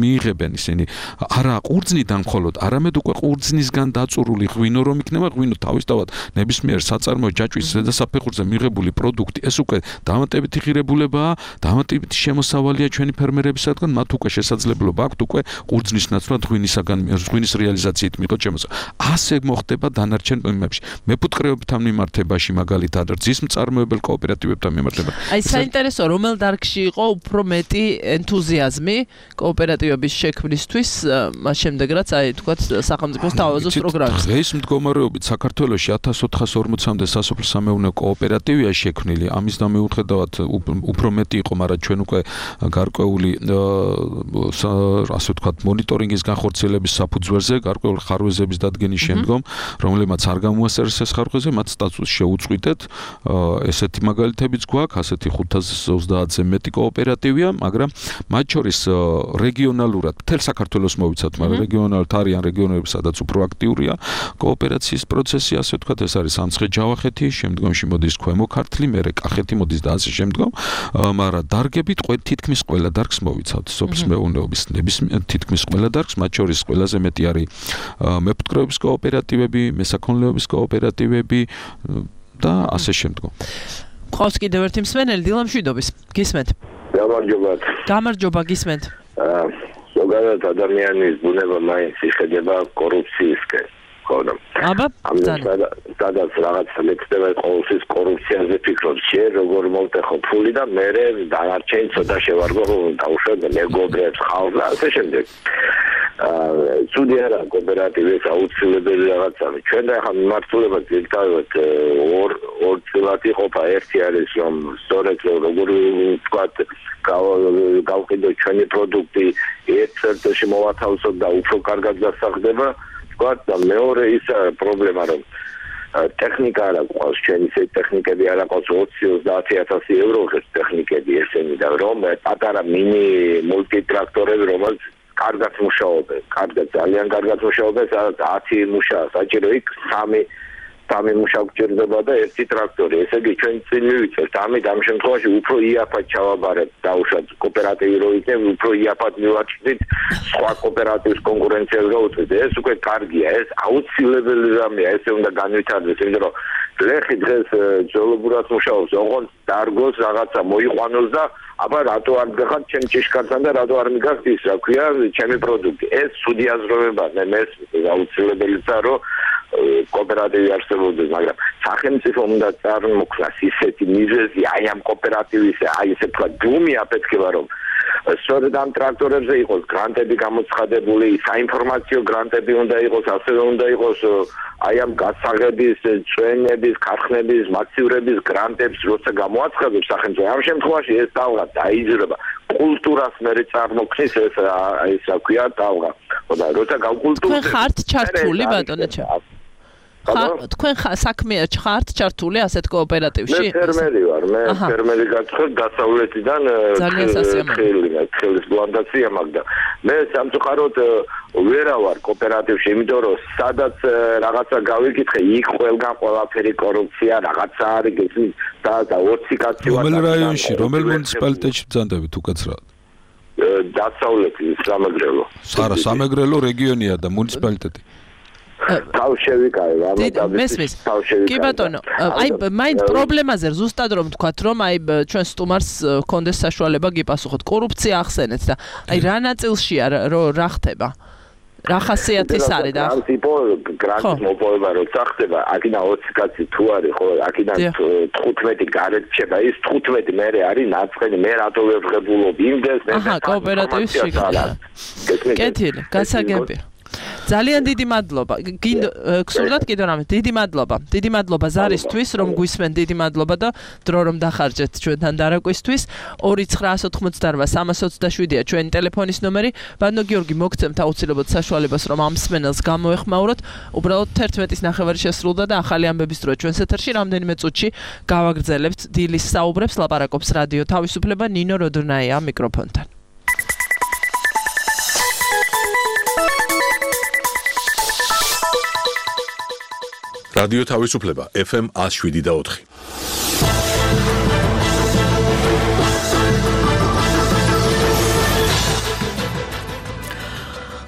მიიღებენ ისინი არა ყურძნიდან მხოლოდ, არამედ უკვე ყურძნისგან დაწურული ღვინო რომ იქნება, ღვინო თავისთავად ნებისმიერ საწარმო ჯაჭვის ზედასაფეხურზე მიღებული პროდუქტი, ეს უკვე დამატებითი ღირებულებაა, დამატებითი შემოსავალია ჩვენი ფერმერებისაგან, მათ უკვე შესაძლებლობა აქვთ უკვე ყურძნის ნაცვლად ღვინისაგან ღვინის რეალიზაციით მიიღოთ შემოსავალი. ასე მოხდება დანარჩენ მიმართებაში. მეფუტკრეობთან მიმართებაში მაგალითად რძის მწარმოებელ კოოპერატივებთან მიმართებაში. აი საინტერესო, რომელ დარგში იყო უფრო მეტი ენთუზიაზმი კოოპერატივების შექმნისთვის, მას შემდეგ რაც აი თქვათ სახელმწიფოს თავაზობს პროგრამას. დღეს მდგომარეობით საქართველოში ათას ოთხას ორმოცამდე სასოფლო-სამეურნეო კოოპერატივია შექმნილი. ამის დამოუხედავად უფრო მეტი იყო, მაგრამ ჩვენ უკვე გარკვეული ასე ვთქვათ მონიტორინგის განხორციელების საფუძველზე, გარკვეული ხარვეზების დადგენის შემდგომ, რომლებმაც არ გამოასწრეს ეს ხარვეზები, მათ სტატუსს შეუწყვიტეთ. ესეთი მაგალითებიც გვაქვს, ასეთი ხუთას ოცდაათზე მეტი კოოპერატივია, მაგრამ მათ შორის რეგიონალურად მთელ საქართველოს მოვიცავთ, მაგრამ რეგიონალურად არიან რეგიონები, სადაც უფრო აქტიურია კოოპერაციის პროცესი, ასე ვთქვათ, ეს არის სამცხე-ჯავახეთი, შემდგომში მოდის ქვემო ქართლი, მერე კახეთი მოდის და ასე შემდგომ, მაგრამ დარგებით თითქმის ყველა დარგს მოვიცავთ, სოფლის მეურნეობის ნებისმიერ თითქმის ყველა დარგს, მათ შორის ყველაზე მეტი არის მეფუტკრეობის კოოპერატივები, მესაქონლეობის კოოპერატივები და ასე შემდგომ. ყავს კიდევ ერთი მსმენელი დილამშვიდობის. გისმენთ? გამარჯობა. გამარჯობა, გისმენთ. ზოგადად ადამიანის ბუნება მაინც იხედება კორუფციისკენ. ხოდა. აბა, სადაც რაღაცა ლექსდება ყოველთვის კორუფციაზე ფიქრობ, შენ როგორ მოვტეხო ფული და მე დანარჩენი ცოტა შევარგო დავუშვებ მეგობრებს ხალხს და ასე შემდეგ. ცუდი არა კოოპერატივის აუცილებელი რაღაცა. ჩვენ და ახლა მიმართულება ძირითადად ორ ორ წილად იყოფა. ერთი არის რომ სწორედ როგორ ვთქვათ გავყიდო ჩვენი პროდუქტი ერთ წერტილში მოვათავსოთ და უფრო კარგად გასახდება. ვთქვათ და მეორე ის პრობლემა რომ ტექნიკა არ აქვს, ჩვენი ეს ტექნიკები არ აქვს ოცი ოცდაათი ათასი ევრო ღირს ტექნიკები ესენი და რომ პატარა მინი მულტიტრაქტორები რომელიც კარგად მუშაობენ, კარგად ძალიან კარგად მუშაობენ, სადაც ათი მუშაა საჭირო, იქ სამი სამი მუშა გჭირდება და ერთი ტრაქტორი. ესე იგი ჩვენ წინ მივიწევთ, ამით ამ შემთხვევაში უფრო იაფად ჩავაბარებთ დაუშვათ კოოპერატივი რო იქნება, უფრო იაფად მივაჩნდით სხვა კოოპერატივის კონკურენციას გაუწევთ. ეს უკვე კარგია, ეს აუცილებელი რამეა, ესე უნდა განვითარდეს, იმიტომ რომ ლეხი დღეს ძველებურად მუშაობს, ოღონდ დარგოს რაღაცა მოიყვანოს და აბა რატო არ გახარ ჩემ ჭიშკართან და რატო არ მიგახთ ის რა ქვია ჩემი პროდუქტი. ეს ცუდი აზროვებაა, მე მესმის აუცილებელია რომ კოოპერატივი არსებობდეს, მაგრამ სახელმწიფო უნდა წარმოქმნას ისეთი მიზეზი აი ამ კოოპერატივის, აი ესე თქვა ბუმი აფეთქება, რომ სწორედ ამ ტრაქტორებზე იყოს გრანტები გამოცხადებული, საინფორმაციო გრანტები უნდა იყოს, ასევე უნდა იყოს აი ამ გასაღების, წვენების, ქარხნების, მაცივრების გრანტებს როცა გამოაცხადებს სახელმწიფო, ამ შემთხვევაში ეს ტალღა დაიძრება. კულტურას მერე წარმოქმნის ეს ეს რა ქვია ტალღა. ხოდა როცა გავკულტურდეს. თქვენ ხართ ჩართული ბატონო. თქვენ საქმეა ხართ ჩართული ასეთ კოოპერატივში? მე ფერმერი ვარ, მე ფერმერი გაცხებ დასავლეთიდან თხილის პლანტაცია მაგდა. მე სამწუხაროდ ვერა ვარ კოოპერატივში, იმიტომ რომ სადაც რაღაცა გავიკითხე, იქ ყველგან ყველაფერი კორუფცია, რაღაცა არის და და ოცი კაცი ვარ. რომელ რაიონში, რომელ მუნიციპალიტეტში ბრძანდებით უკაცრავად? დასავლეთი სამეგრელო. არა, სამეგრელო რეგიონია და მუნიციპალიტეტი. თავშევიკავე, ამიტომ მესმის. კი ბატონო, აი მაინც პრობლემაზე ზუსტად რომ თქვათ, რომ აი ჩვენ სტუმარს კონდეს საშუალება გიპასუხოთ. კორუფცია ახსენეთ და აი რა ნაწილშია რა ხდება? რა ხასიათის არის და ტიპო გრანტის მოპოვება როცა ხდება, აქედან ოცი კაცი თუ არის, ხო, აქედან თხუთმეტი გარეთ რჩება, ის თხუთმეტი მერე არის ნაწყენი, მე რატო ვერ ვღებულობ იმდეს, მე აჰა, კოოპერატივში. კეთილი, გასაგებია. ძალიან დიდი მადლობა. გსურდათ კიდევ რამე? დიდი მადლობა. დიდი მადლობა ზარისთვის, რომ გვისმენ, დიდი მადლობა და დრო რომ დახარჯეთ ჩვენთან დარაკვისთვის. ორი ცხრა ოცდაოთხმოცდაოთხ სამას ოცდაშვიდია ჩვენი ტელეფონის ნომერი. ბატონო გიორგი, მოგცემთ აუცილებლად საშუალებას, რომ ამ მსმენელს გამოეხმაუროთ. უბრალოდ თერთმეტის ნახევარი შესრულდა და ახალი ამბების დროა ჩვენს ეთერში. რამდენიმე წუთში გავაგრძელებთ დილის საუბრებს. ლაპარაკობს რადიო თავისუფლება, ნინო როდრნაია მიკროფონთან. რადიო თავისუფლება ეფ ემ one oh seven და four.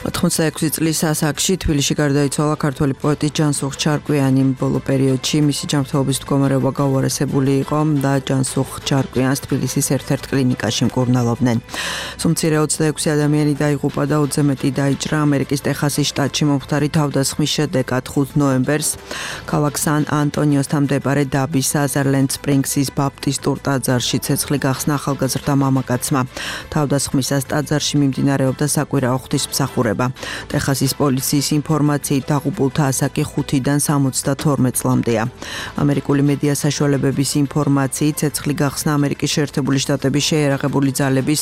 ოთხმოცდაექვსი წლის ასაკში თბილისში გარდაიცვალა ქართველი პოეტი ჯანსუღ ჩარკვიანი. ბოლო პერიოდში მისი ჯანმრთელობის მდგომარეობა გაუარესებული იყო და ჯანსუღ ჩარკვიანს თბილისის ერთ-ერთ კლინიკაში მკურნალობდნენ. სუმცირე ოცდაექვსი ადამიანი დაიღუპა და ოცზე მეტი დაიჭრა. ამერიკის ტეხასის შტატში მომხდარი თავდასხმის შედეგად ხუთი ნოემბერს ქალაქ სან ანტონიოსთან მდებარე დაბის საზარლენდ სპრინგსის ბაპტისტურ ტაძარში ცეცხლი გახსნა ახალგაზრდა მამაკაცმა. თავდასხმისას ტაძარში მიმდინარეობდა საკვირაო ღვთისმსახურება. ტეხასის პოლიციის ინფორმაციით დაღუპულთა ასაკი ხუთიდან სამოცდათორმეტ წლამდეა. ამერიკული მედია საშუალებების ინფორმაციით ცეცხლი გახსნა ამერიკის შეერთებული შტატების შეიარაღებული ძალების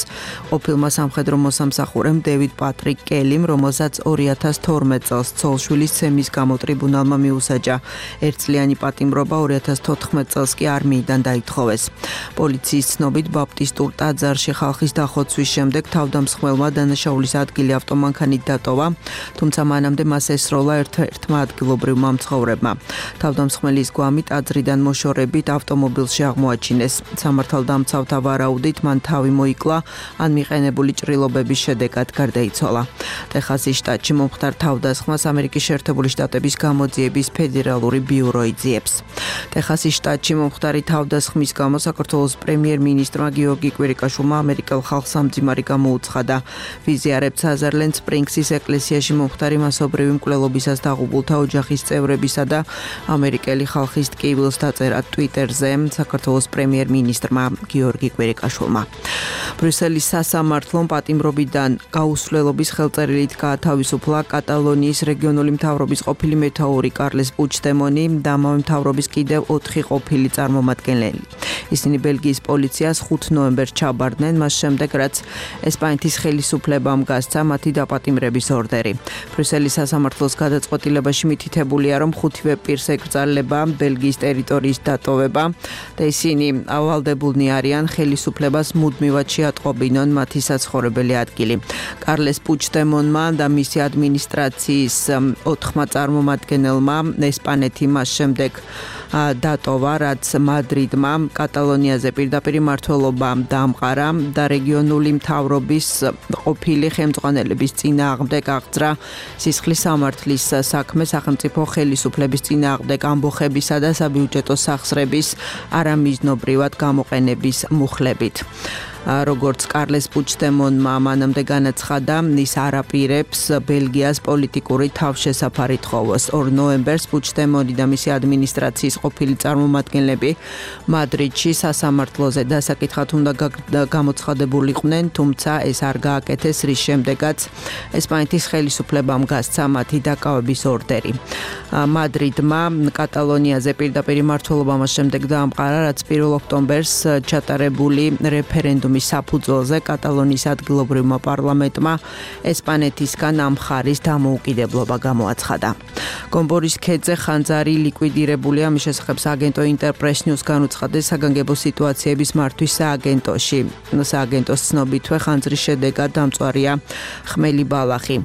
ყოფილმა სამხედრო მოსამსახურემ დევიდ პატრიკ კელიმ, რომელსაც ორი ათას თორმეტ წელს ცოლშვილის ცემის გამო ტრიბუნალმა მიუსაჯა. ერთწლიანი პატიმრობა ორი ათას თოთხმეტ წელს კი არმიიდან დაითხოვეს. პოლიციის ცნობით ბაპტისტურ ტაძარში ხალხის დახოცვის შემდეგ თავდამსხმელმა დანაშაულის ადგილი ავტომანქანით დატოვა, თუმცა მანამდე მას ესროლა ერთ-ერთმა ადგილობრივმა მცხოვრებმა. თავდამსხმელის გვამი ტაძრიდან მოშორებით ავტომობილში აღმოაჩინეს. სამართალდამცავთა ვარაუდით მან თავი მოიკლა, ან მიყენებული ჭრილობების შედეგად გარდაიცვალა. ტეხასის შტატში მომხდარ თავდასხმას ამერიკის შეერთებული შტატების გამოძიების ფედერალური ბიურო იძიებს. ტეხასის შტატში მომხდარი თავდასხმის გამო საქართველოს პრემიერ-მინისტრმა გიორგი კვირიკაშვილმა ამერიკელ ხალხს სამძიმარი გამოუცხადა. ვიზიარებს საზარლენდ სპრინგსის ეკლესიაში მომხდარი მასობრივი მკვლელობისას დაღუპულთა ოჯახის წევრებისა და ამერიკელი ხალხის ტკივილს დაწერა ტვიტერზე საქართველოს პრემიერ-მინისტრმა გიორგი კვირიკაშვილმა. ბრიუსელის სასამართლომ პატიმრობიდან გაუსვლელობის ხელწერილით გაათავისუფლა კატალონიის რეგიონული მთავრობის ყოფილი მეთაური კარლეს პუჩდემონი და ამავე მთავრობის კიდევ ოთხი ყოფილი წარმომადგენელი. ისინი ბელგიის პოლიციას ხუთი ნოემბერს ჩაბარდნენ, მას შემდეგ რაც ესპანეთის ხელისუფლებამ გასცა მათი დაპატიმრების ორდერი. ბრიუსელის სასამართლოს გადაწყვეტილებაში მითითებულია, რომ ხუთივე პირს ეკრძალება ბელგიის ტერიტორიის დატოვება და ისინი ავალდებულნი არიან ხელისუფლებას მუდმივად შეატყობინონ მათი საცხოვრებელი ადგილი. კარლეს პუჩდემონმა და მისი ადმინისტრაციის ოთხმა წარმომადგენელმა ესპანეთი მას შემდეგ დატოვა, რაც მადრიდმა კატალონიაზე პირდაპირ მმართველობა დაამყარა და რეგიონული მთავრობის ყოფილი ხელმძღვანელების წინააღმდეგ აღძრა სისხლის სამართლის საქმე სახელმწიფო ხელისუფლების წინააღმდეგ ამბოხებისა და საბიუჯეტო სახსრების არამიზნობრივად გამოყენების მუხლებით. როგორც კარლეს პუჩდემონმა მანამდე განაცხადა, ის არაპირებს ბელგიას პოლიტიკური თავშესაფარი თხოვოს. ორ ნოემბერს პუჩდემონი და მისი ადმინისტრაციის ყოფილი წარმომადგენლები მადრიდში სასამართლოზე დასაკითხად უნდა გამოცხადებულიყვნენ, თუმცა ეს არ გააკეთეს, რის შემდეგაც ესპანეთის ხელისუფლებამ გასცა მათი დაკავების ორდერი. მადრიდმა კატალონიაზე პირდაპირ მმართველობა მას შემდეგ დაამყარა, რაც პირველ ოქტომბერს ჩატარებული რეფერენდუმი რეფერენდუმის საფუძველზე კატალონიის ადგილობრივმა პარლამენტმა ესპანეთისგან ამ მხარის დამოუკიდებლობა გამოაცხადა. გომბორის ქედზე ხანძარი ლიკვიდირებულია, მის შესახებ სააგენტო ინტერპრეს ნიუს განუცხადეს საგანგებო სიტუაციების მართვის სააგენტოში. სააგენტოს ცნობითვე ხანძრის შედეგად დამწვარია ხმელი ბალახი.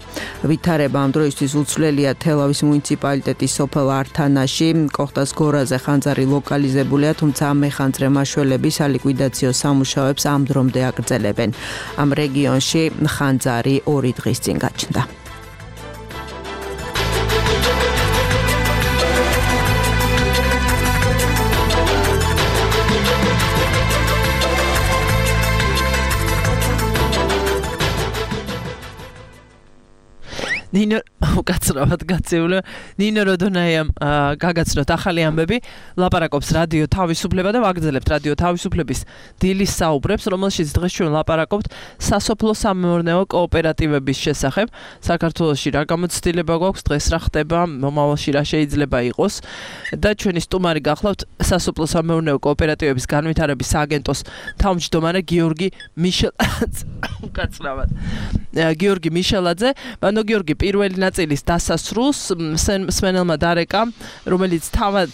ვითარება ამ დროისთვის უცვლელია თელავის მუნიციპალიტეტის სოფელ ართანაში, კოხტას გორაზე ხანძარი ლოკალიზებულია, თუმცა მეხანძრე მაშველები სალიკვიდაციო სამუშაოებს ამ დრომდე აგრძელებენ. ამ რეგიონში ხანძარი ორი დღის წინ გაჩნდა. ნინო უკაცრავად გაწეულა ნინო როდონაიამ გაგაცნოთ ახალი ამბები ლაპარაკობს რადიო თავისუფლება და ვაგრძელებთ რადიო თავისუფლების დილის საუბრებს რომელშიც დღეს ჩვენ ლაპარაკობთ სასოფლო სამეურნეო კოოპერატივების შესახებ საქართველოში რა გამოცდილება გვაქვს დღეს რა ხდება მომავალში რა შეიძლება იყოს და ჩვენი სტუმარი გახლავთ სასოფლო სამეურნეო კოოპერატივების განვითარების სააგენტოს თავმჯდომარე გიორგი მიშელაძე უკაცრავად გიორგი მიშელაძე ბანო გიორგი პირველი ნაწილის დასასრულს სმენელმა დარეკა, რომელიც თავად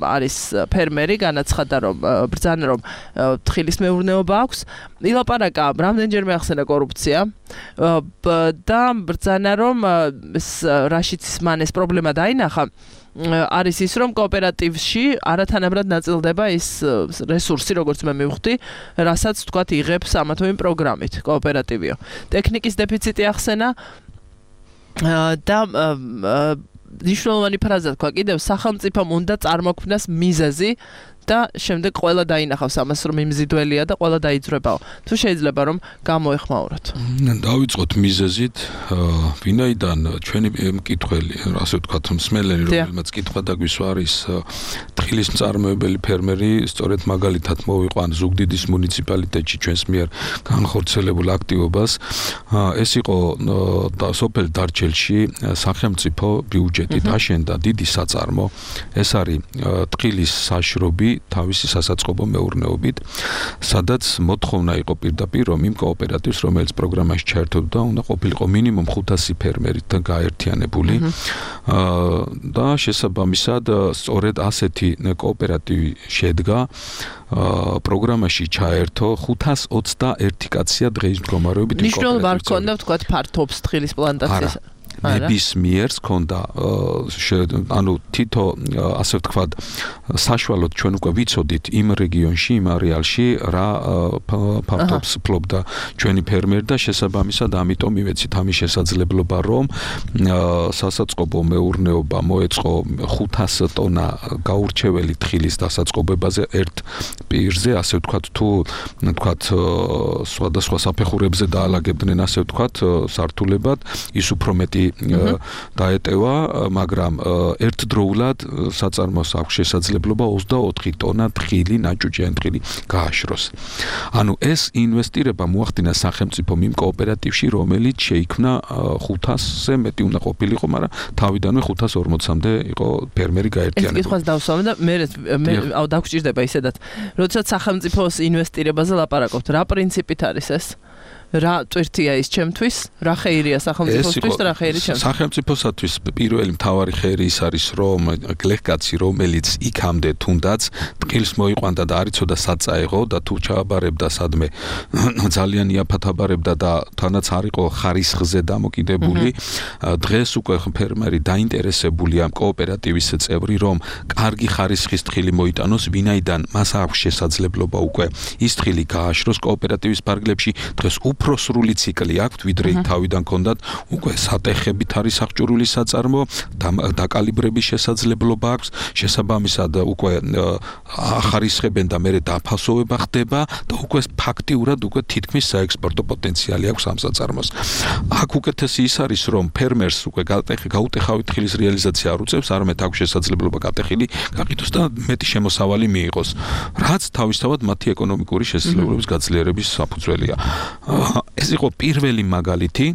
არის ფერმერი, განაცხადა რომ ბრძანა რომ თხილის მეურნეობა აქვს. ილაპარაკა რამდენჯერმე ახსენა კორუფცია და ბრძანა რომ რაშიც მან ეს პრობლემა დაინახა არის ის რომ კოოპერატივში არათანაბრად ნაწილდება ის რესურსი როგორც მე მივხვდი, რასაც თქვათ იღებს ამა თუ იმ პროგრამით კოოპერატივიო. ტექნიკის დეფიციტი ახსენა და ნიშნულოვანი ფრაზა თქვა კიდევ სახელმწიფომ უნდა წარმოქმნას მიზეზი და შემდეგ ყველა დაინახავს ამას რომ იმზიდველია და ყველა დაიძრებაო. თუ შეიძლება რომ გამოეხმაუროთ. დავიწყოთ მიზეზით, ვინაიდან ჩვენი მკითხველი, ასე ვთქვათ, მსმენელი რომელმაც კითხვა დაგვისვა არის თხილის მწარმოებელი ფერმერი, სწორედ მაგალითად მოვიყვან ზუგდიდის მუნიციპალიტეტში ჩვენს მიერ განხორციელებულ აქტივობას. ეს იყო სოფელ დარჩელში სახელმწიფო ბიუჯეტით აშენდა დიდი საწარმო. ეს არის თხილის საშრობი თავისი სასაწყობო მეურნეობით, სადაც მოთხოვნა იყო პირდაპირ რომ იმ კოოპერატივს, რომელიც პროგრამაში ჩაერთვებოდა, უნდა ყოფილიყო მინიმუმ ხუთასი ფერმერით გაერთიანებული და შესაბამისად სწორედ ასეთი კოოპერატივი შედგა პროგრამაში ჩაერთო ხუთას ოცდაერთი კაცია დღეის მდგომარეობით. ნიშნულ ვარ ქონდა ვთქვათ ფართობს თხილის პლანტაციას. ნებისმიერს ქონდა ანუ თითო ასე ვთქვათ საშუალოდ ჩვენ უკვე ვიცოდით იმ რეგიონში, იმ არეალში რა ფართობს ფლობდა ჩვენი ფერმერი და შესაბამისად ამიტომ მივეცით ამის შესაძლებლობა რომ სასაწყობო მეურნეობა მოეწყო ხუთას ტონა გაურჩეველი თხილის დასაწყობებაზე ერთ პირზე, ასე ვთქვათ თუ ვთქვათ სხვადასხვა საფეხურებზე დაალაგებდნენ ასე ვთქვათ სართულებად, ის უფრო მეტი დაეტევა, მაგრამ ერთდროულად საწარმოს აქვს შესაძლებლობა ოცდაოთხი ტონა თხილი, ნაჭუჭიანი თხილი გააშროს. ანუ ეს ინვესტირება მოახდინა სახელმწიფომ იმ კოოპერატივში, რომელიც შეიქმნა ხუთასზე მეტი უნდა ყოფილიყო, მაგრამ თავიდანვე ხუთას ორმოცამდე იყო ფერმერი გაერთიანებული. ეს კითხვას დავსვამ და მე მე დაგჭირდება ისედაც. როდესაც სახელმწიფოს ინვესტირებაზე ლაპარაკობთ, რა პრინციპით არის ეს? რა წვირთია ის ჩემთვის, რა ხეირია სახელმწიფოსთვის და რა ხეირი ჩემთვის. სახელმწიფოსათვის პირველი მთავარი ხეირი ის არის, რომ გლეხკაცი, რომელიც იქამდე თუნდაც თხილს მოიყვანდა და არ იცოდა საწაეღო და თუ ჩააბარებდა სადმე ძალიან იაფად აბარებდა და თანაც არ იყო ხარისხზე დამოკიდებული, დღეს უკვე ფერმერი დაინტერესებულია კოოპერატივის წევრი, რომ კარგი ხარისხის თხილი მოიტანოს, ვინაიდან მას აქვს შესაძლებლობა უკვე ის თხილი გააშროს კოოპერატივის ფარგლებში, დღეს უფრო სრული ციკლი აქვს, ვიდრე თავიდან ქონდათ, უკვე სატეხებით არის აღჭურვილი საწარმო, დაკალიბრების შესაძლებლობა აქვს, შესაბამისად უკვე ახარისხებენ და მერე დაფასოვება ხდება და უკვე ფაქტიურად უკვე თითქმის საექსპორტო პოტენციალი აქვს ამ საწარმოს. აქ უკეთესი ის არის, რომ ფერმერს უკვე გაუტეხავი თხილის რეალიზაცია არ უწევს, არამედ აქვს შესაძლებლობა გატეხილი გაყიდოს და მეტი შემოსავალი მიიღოს, რაც თავისთავად მათი ეკონომიკური შესაძლებლობების გაძლიერების საფუძველია. ეს იყო პირველი მაგალითი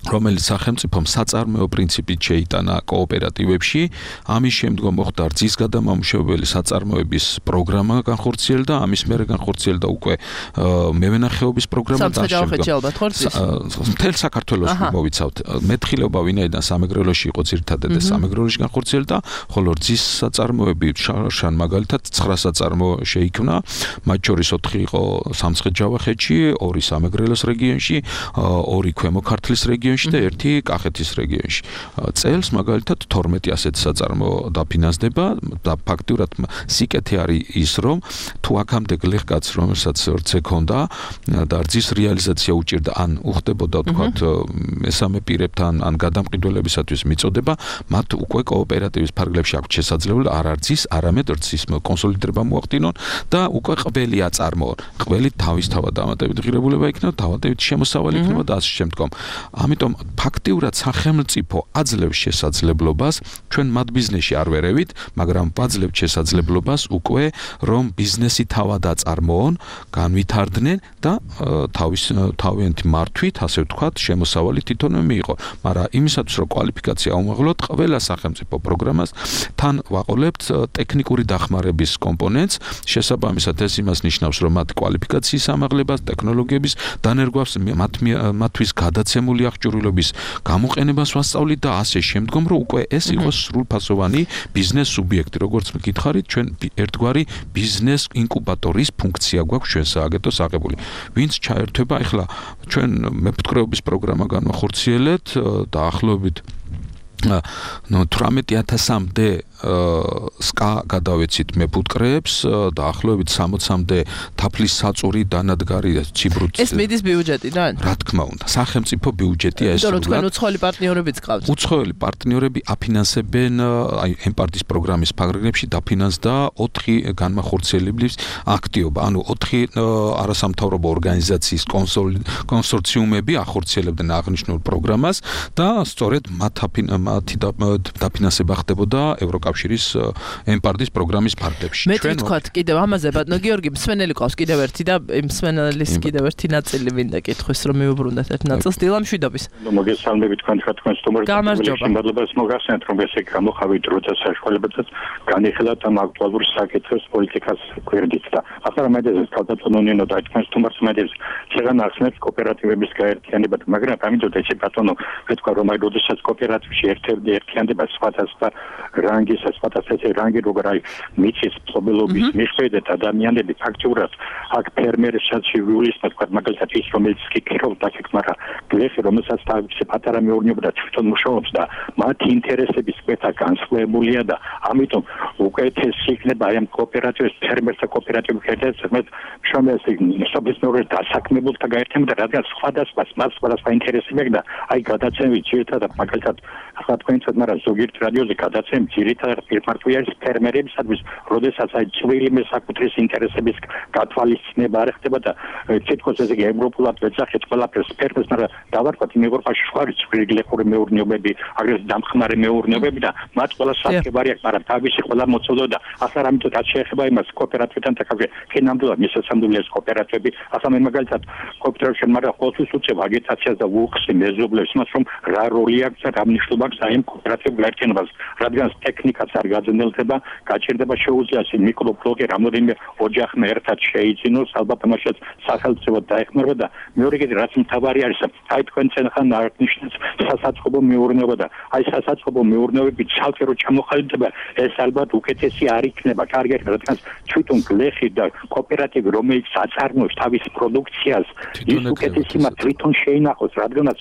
რომელიც სახელმწიფომ საწარმოო პრინციპით შეიტანა კოოპერატივებში, ამის შემდგომ მოხდა რძის გადამამუშავებელი საწარმოების პროგრამა განხორციელდა, ამის მერე განხორციელდა უკვე მევენახეობის პროგრამა და შემდგომ მთელ საქართველოს მოვიცავთ. მეთხილეობა ვინაიდან სამეგრელოში იყო ძირითადად და სამეგრელოში განხორციელდა, ხოლო რძის საწარმოები შან მაგალითად ცხრა საწარმო შეიქმნა, მათ შორის ოთხი იყო სამცხე-ჯავახეთში, ორი სამეგრელოს რეგიონში, ორი ქვემო ქართლის რეგიონში და ერთი კახეთის რეგიონში. წელს მაგალითად თორმეტი ასეთი საწარმო დაფინანსდება და ფაქტურად სიკეთე არის ის, რომ თუ აქამდე გლეხკაც რომელსაც რცე ქონდა და რძის რეალიზაცია უჭირდა, ან უხდებოდა თქვათ მესამე პირებთან, ან გადამყიდველებისათვის მიწოდება, მათ უკვე კოოპერატივის ფარგლებში აქვს შესაძლებლობა არა რძის, არამედ რძის კონსოლიდირება მოახდინონ და უკვე ყველი აწარმოონ. ყველი თავისთავად დამატებით ღირებულება იქნება, დავატებით შემოსავალი იქნება და ასე შემდგომ. ამიტომ ფაქტიურად სახელმწიფო აძლევს შესაძლებლობას, ჩვენ მათ ბიზნესში არ ვერევით, მაგრამ ვაძლევთ შესაძლებლობას უკვე რომ ბიზნესი თავად აწარმოონ, განვითარდნენ და თავის თავიანთი მართვით, ასე ვთქვათ, შემოსავალი თვითონვე მიიღო. მაგრამ იმისათვის რომ კვალიფიკაცია აუმაღლოთ, ყველა სახელმწიფო პროგრამას თან ვაყოლებთ ტექნიკური დახმარების კომპონენტს, შესაბამისად ეს იმას ნიშნავს, რომ მათ კვალიფიკაციის ამაღლებას, ტექნოლოგიების დანერგვას, მათთვის გადაცემული აღჭურვილობის გამოყენებას ვასწავლით და ასე შემდგომ, რომ უკვე ეს იყოს სრულფასოვანი ბიზნეს სუბიექტი, როგორც მკითხარით, ჩვენ ერთგვარი ბიზნეს ინკუბატორის ფუნქცია გვაქვს ჩვენ სააგენტოს აღებული. ვინც ჩაერთვება, ეხლა ჩვენ მეფუტკრეობის პროგრამა განვახორციელეთ დაახლოებით ნუ თვრამეტი ათასამდე სკა გადავეცით მეფუტკრეებს, დაახლოებით სამოცამდე თაფლის საწური დანადგარი ციბრუც. ეს მიდის ბიუჯეტიდან? რა თქმა უნდა, სახელმწიფო ბიუჯეტია ეს. იმიტომ რომ თქვენ უცხოელი პარტნიორებიც გყავთ. უცხოელი პარტნიორები აფინანსებენ აი ემპარტის პროგრამის ფარგლებში დაფინანსდა ოთხი განმახორციელებლის აქტივობა. ანუ ოთხი არასამთავრობო ორგანიზაციის კონსორციუმები ახორციელებდნენ აღნიშნულ პროგრამას და სწორედ მათი დაფინანსება ხდებოდა ევროკავშირის ემპარტის პროგრამის ფარგლებში. მე თქვათ კიდევ ამაზე ბატონო გიორგი, მსმენელი ყავს კიდევ ერთი და იმ მსმენელის კიდევ ერთი ნაწილი მინდა კითხვის რომ მიუბრუნდეთ ერთ ნაწილს დილამშვიდობის. მოგესალმებით თქვენ თქვენ თქვენ სტუმრებს. სიმბადლებას მოგახსენეთ რომ ესე გამოხავით როცა საშუალებებსაც განიხილოთ ამ აქტუალურ საკითხებს პოლიტიკას გვერდით და ახლა მედეზე თავდაცონონინო და თქვენ სტუმრებს მედეზე შეგან ახსნებს კოოპერატივების გაერთიანებად, მაგრამ ამიტომ ესე ბატონო ვთქვა რომ აი როდესაც კოოპერატივში ერთ-ერთი ერთიანდება სხვადასხვა რანგის სხვადასხვა რანგი როგორ აი მიწის ფლობელობის მიხედვით ადამიანები ფაქტურად აქ ფერმერებსაც შეგვიძლია თქვა მაგალითად ის რომელიც კიკრობს აქ მაგრამ გლეხი რომელსაც თავისი პატარა მეურნეობა და თვითონ მუშაობს და მათ ინტერესების ქვედა განსხვავებულია და ამიტომ უკეთესი იქნება აი ამ კოოპერატივის ფერმერთა კოოპერატივის ერთად შრომელს საბიზნესო დასაქმებულთა გაერთიანება რადგან სხვადასხვა მას სხვადასხვა ინტერესები აქვს და აი გადაცემით ძირითადად მაგალითად ახლა თქვენცად მაგრამ ზოგიერთ რადიოზე გადაცემით ძირითადად პირმართვია ფერმერებისათვის როდესაც აი წვრილი მესაკუთრის ინტერესების გათვალისწინება არ ხდება და თითქოს ესე იგი ევროპულად ვეძახეთ ყველაფერს ფერმერს მაგრამ დავარქვათ იმ ევროპაში სხვა წვრილი გლეხური მეურნეობები აგრეთვე დამხმარე მეურნეობები და მათ ყველა საკებარი აქვს მაგრამ თავისი ყველა მოწოდო და ახლა რამეთო რაც შეეხება იმას კოოპერატივთან დაკავშირებით კი ნამდვილად მისასამდული ეს კოოპერატივები ახლა მე მაგალითად კოოპერატივში მაგრამ ყოველთვის უწევ აგიტაციას და უხსნი მეზობლებს იმას რომ რა როლი აქვს და რა მნიშვნელობა აქვს აი ამ კოოპერატივულ გაერთიანებას რადგან ტექნიკაც არ გაძნელდება გაჭირდება შეუძლია ეს მიკროფლოგე რამოდენიმე ოჯახმა ერთად შეიძინოს ალბათ ამაშიც სახელმწიფო დაეხმარება და მეორე კიდე რაც მთავარი არის აი თქვენ ცენხან აღნიშნეთ სასაწყობო მეურნეობა და აი სასაწყობო მეურნეობები ცალკე რო ჩამოხალიბდება ეს ალბათ უკეთესი არ იქნება კარგი რადგან თვითონ გლეხი და კოოპერატივი რომელიც აწარმოებს თავის პროდუქციას ის უკეთესი მათ თვითონ შეინახოს რადგანაც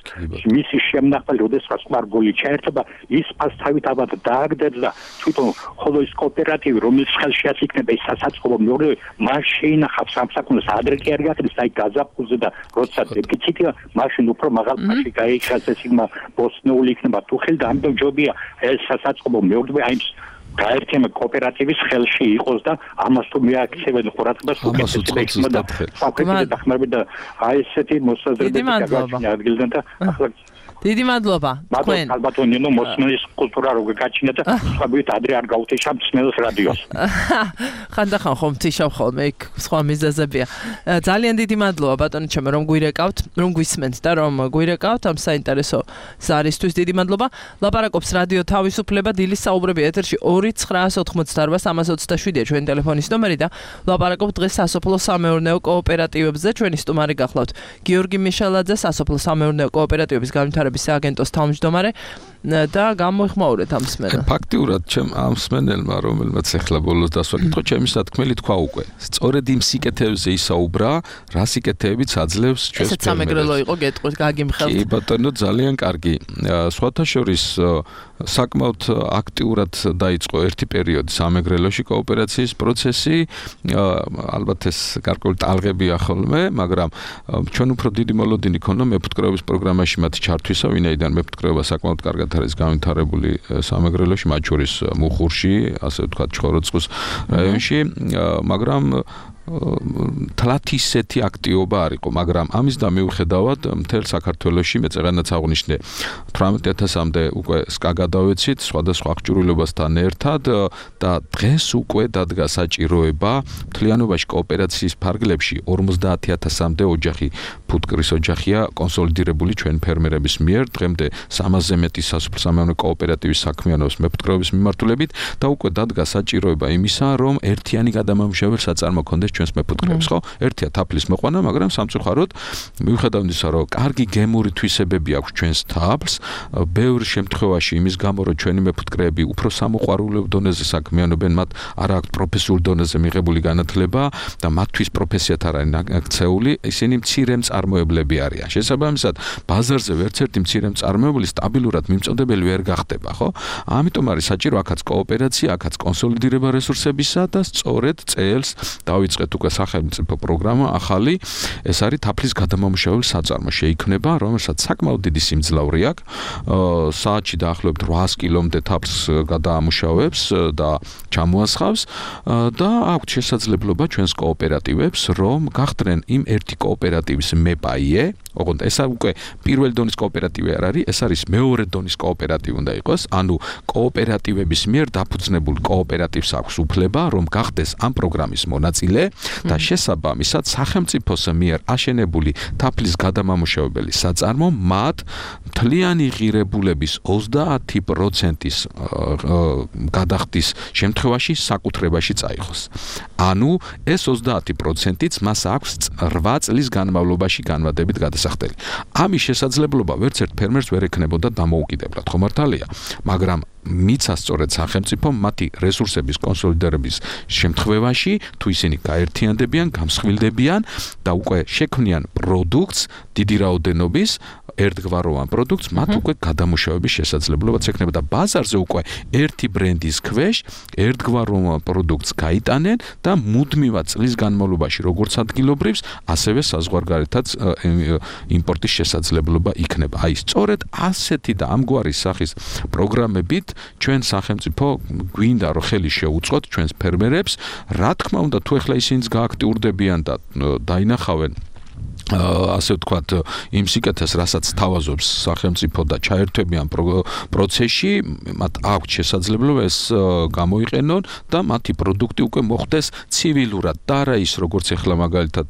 მისი შემნახალი როდესაც სპარგული ჩაერთება ის ფასთავით ალბათ დააგდებს და თვითონ ხოლო ის კოოპერატივი რომელიც ხელშიაც იქნება ის სასაწყობო მეურნეობა მას შეინახავს სამსაკუნოს ადრე კი არ გახდეს აი გაზაფხულზე და როცა დეფიციტია მაშინ უფრო მაღალ ფასში გაიქცეს ეს იმა ბოსნეული იქნება თუ ხელი და ამიტომ ჯობია ეს სასაწყობო მეურნეობა აი გაერთიანება კოოპერატივის ხელში იყოს და ამას თუ მიაქცევენ ყურადღებას უკეთესება იქნება და საკუთარი დახმარება და აი ესეთი მოსაზრებები გადაგვაჩნია ადგილიდან და ახლა დიდი მადლობა. თქვენ ალბათ ნინო მოსმენის კულტურა როგორ გაჩინა და სხვაგვარად ადრე არ გავუთიშავ მსმენელს რადიოს. ხანდახან ხომ თიშავ ხოლმე იქ სხვა მიზეზებია. ძალიან დიდი მადლობა ბატონო ჩემო რომ გვირეკავთ, რომ გვისმენთ და რომ გვირეკავთ ამ საინტერესო ზარისთვის დიდი მადლობა. ლაპარაკობს რადიო თავისუფლება დილის საუბრები ეთერში ორი ცხრაას ოთხმოცდაარბა სამას ოცდაშვიდია ჩვენი ტელეფონის ნომერი და ლაპარაკობთ დღეს სასოფლო სამეურნეო კოოპერატივებზე. ჩვენი სტუმარი გახლავთ გიორგი მიშელაძე, სასოფლო სამეურნეო კოოპერატივების განვითარების სააგენტოს თავმჯდომარე და გამოიხმაურეთ ამ მსმენელს. ფაქტიურად ჩემ ამ მსმენელმა რომელმაც ახლა ბოლოს დასვაკითხო ჩემი სათქმელი თქვა უკვე. სწორედ იმ სიკეთეებზე ისაუბრა, რა სიკეთეებიც აძლევს ჩვენს ესეც სამეგრელო იყო გეტყვით გაგიმხელთ. კი ბატონო ძალიან კარგი. სხვათა შორის საკმაოდ აქტიურად დაიწყო ერთი პერიოდი სამეგრელოში კოოპერაციის პროცესი. ალბათ ეს გარკვეული ტალღებია ხოლმე, მაგრამ ჩვენ უფრო დიდი მოლოდინი ქონდა მეფუტკრეობის პროგრამაში მათი ჩართვისა, ვინაიდან მეფუტკრეობა საკმაოდ კარგად არის განვითარებული სამეგრელოში, მათ შორის მუხურში, ასე ვთქვათ, ჭოროწყუს რაიონში, მაგრამ თლათ ისეთი აქტივობა არ იყო, მაგრამ ამის და მიუხედავად მთელ საქართველოში მე წეგანაც აღვნიშნე თვრამეტ ათასამდე უკვე სკა გადავეცით სხვადასხვა აღჭურვილობასთან ერთად და დღეს უკვე დადგა საჭიროება მთლიანობაში კოოპერაციის ფარგლებში ორმოცდაათი ათასამდე ოჯახი ფუტკრის ოჯახია კონსოლიდირებული ჩვენ ფერმერების მიერ დღემდე სამასზე მეტი სასოფლო სამეურნეო კოოპერატივის საქმიანობს მეფუტკრეობის მიმართულებით და უკვე დადგა საჭიროება იმისა რომ ერთიანი გადამამუშავებელი საწარმო ქონდეს ჩვენს მეფუტკრეებს, ხო? ერთია თაფლის მოყვანა, მაგრამ სამწუხაროდ მიუხედავად იმისა, რომ კარგი გემური თვისებები აქვს ჩვენს თაფლს, ბევრ შემთხვევაში იმის გამო, რომ ჩვენი მეფუტკრეები უფრო სამოყვარულო დონეზე საქმიანობენ, მათ არ აქვს პროფესიულ დონეზე მიღებული განათლება და მათთვის პროფესიათ არ არის აქცეული, ისინი მცირე მწარმოებლები არიან. შესაბამისად, ბაზარზე ვერც ერთი მცირე მწარმოებელი სტაბილურად მიმწოდებელი ვერ გახდება, ხო? ამიტომ არის საჭირო აქაც კოოპერაცია, აქაც კონსოლიდირება რესურსებისა და სწორედ წელს დავიწყეთ უკვე სახელმწიფო პროგრამა ახალი, ეს არის თაფლის გადამამუშავებელი საწარმო შეიქმნება, რომელსაც საკმაოდ დიდი სიმძლავრე აქვს. საათში დაახლოებით რვაას კილომდე თაფლს გადაამუშავებს და ჩამოასხავს და აქვს შესაძლებლობა ჩვენს კოოპერატივებს, რომ გახდნენ იმ ერთი კოოპერატივის მეპაიე, ოღონდ ეს უკვე პირველი დონის კოოპერატივი არ არის, ეს არის მეორე დონის კოოპერატივი უნდა იყოს, ანუ კოოპერატივების მიერ დაფუძნებულ კოოპერატივს აქვს უფლება, რომ გახდეს ამ პროგრამის მონაწილე და შესაბამისად სახელმწიფოს მიერ აშენებული თაფლის გადამამუშავებელი საწარმო მათ მთლიანი ღირებულების ოცდაათი პროცენტის გადახდის შემთხვევაში საკუთრებაში წაიღოს. ანუ ეს ოცდაათი პროცენტიც მას აქვს რვა წლის განმავლობაში განმადებით გადასახდელი. ამის შესაძლებლობა ვერც ერთ ფერმერს ვერ ექნებოდა დამოუკიდებლად, ხო მართალია, მაგრამ მიცა სწორედ სახელმწიფო მათი რესურსების კონსოლიდირების შემთხვევაში თუ ისინი გაერთიანდებიან, გამსხვილდებიან და უკვე შექმნიან პროდუქტს დიდი რაოდენობის ერთგვაროვან პროდუქტს, მათ უკვე გადამუშავების შესაძლებლობაც ექნება და ბაზარზე უკვე ერთი ბრენდის ქვეშ ერთგვაროვან პროდუქტს გაიტანენ და მუდმივად წლის განმავლობაში როგორც ადგილობრივს, ასევე საზღვარგარეთაც იმპორტის შესაძლებლობა იქნება. აი სწორედ ასეთი და ამგვარი სახის პროგრამებით ჩვენ სახელმწიფო გვინდა რომ ხელი შეუწყოთ ჩვენს ფერმერებს, რა თქმა უნდა თუ ეხლა ისინიც გააქტიურდებიან და დაინახავენ ასე ვთქვათ, იმ სიკეთეს, რასაც თავაზობს სახელმწიფო და ჩაერთვებიან პროცესში, მათ აქვს შესაძლებლობა ეს გამოიყენონ და მათი პროდუქტი უკვე მოხდეს ცივილურად და არა ის, როგორც ეხლა მაგალითად,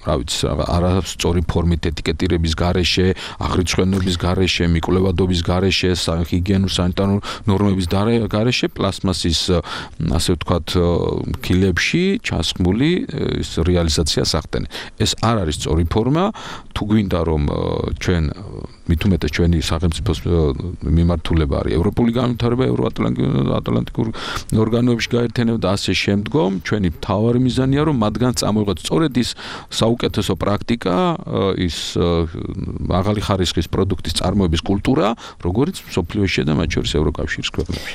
რა ვიცი, არასწორი ფორმით ეტიკეტირების გარეშე, აღრიცხვენობის გარეშე, მიკვლევადობის გარეშე, ჰიგიენურ სანიტარულ ნორმების გარეშე, პლასმასის, ასე ვთქვათ, ქილებში ჩასხმული ეს რეალიზაციას ახდენენ. ეს არ არის სწორი ფორმა, თუ გვინდა რომ ჩვენ მით უმეტეს ჩვენი სახელმწიფოს მიმართულება არის ევროპული განვითარება, ევროატლანტიკურ ორგანოებში გაერთიანება და ასე შემდგომ, ჩვენი მთავარი მიზანია რომ მათგან წამოიღოთ სწორედ ის საუკეთესო პრაქტიკა, ის მაღალი ხარისხის პროდუქტის წარმოების კულტურა, როგორც მსოფლიოში და მათ შორის ევროკავშირის ქვეყნებში.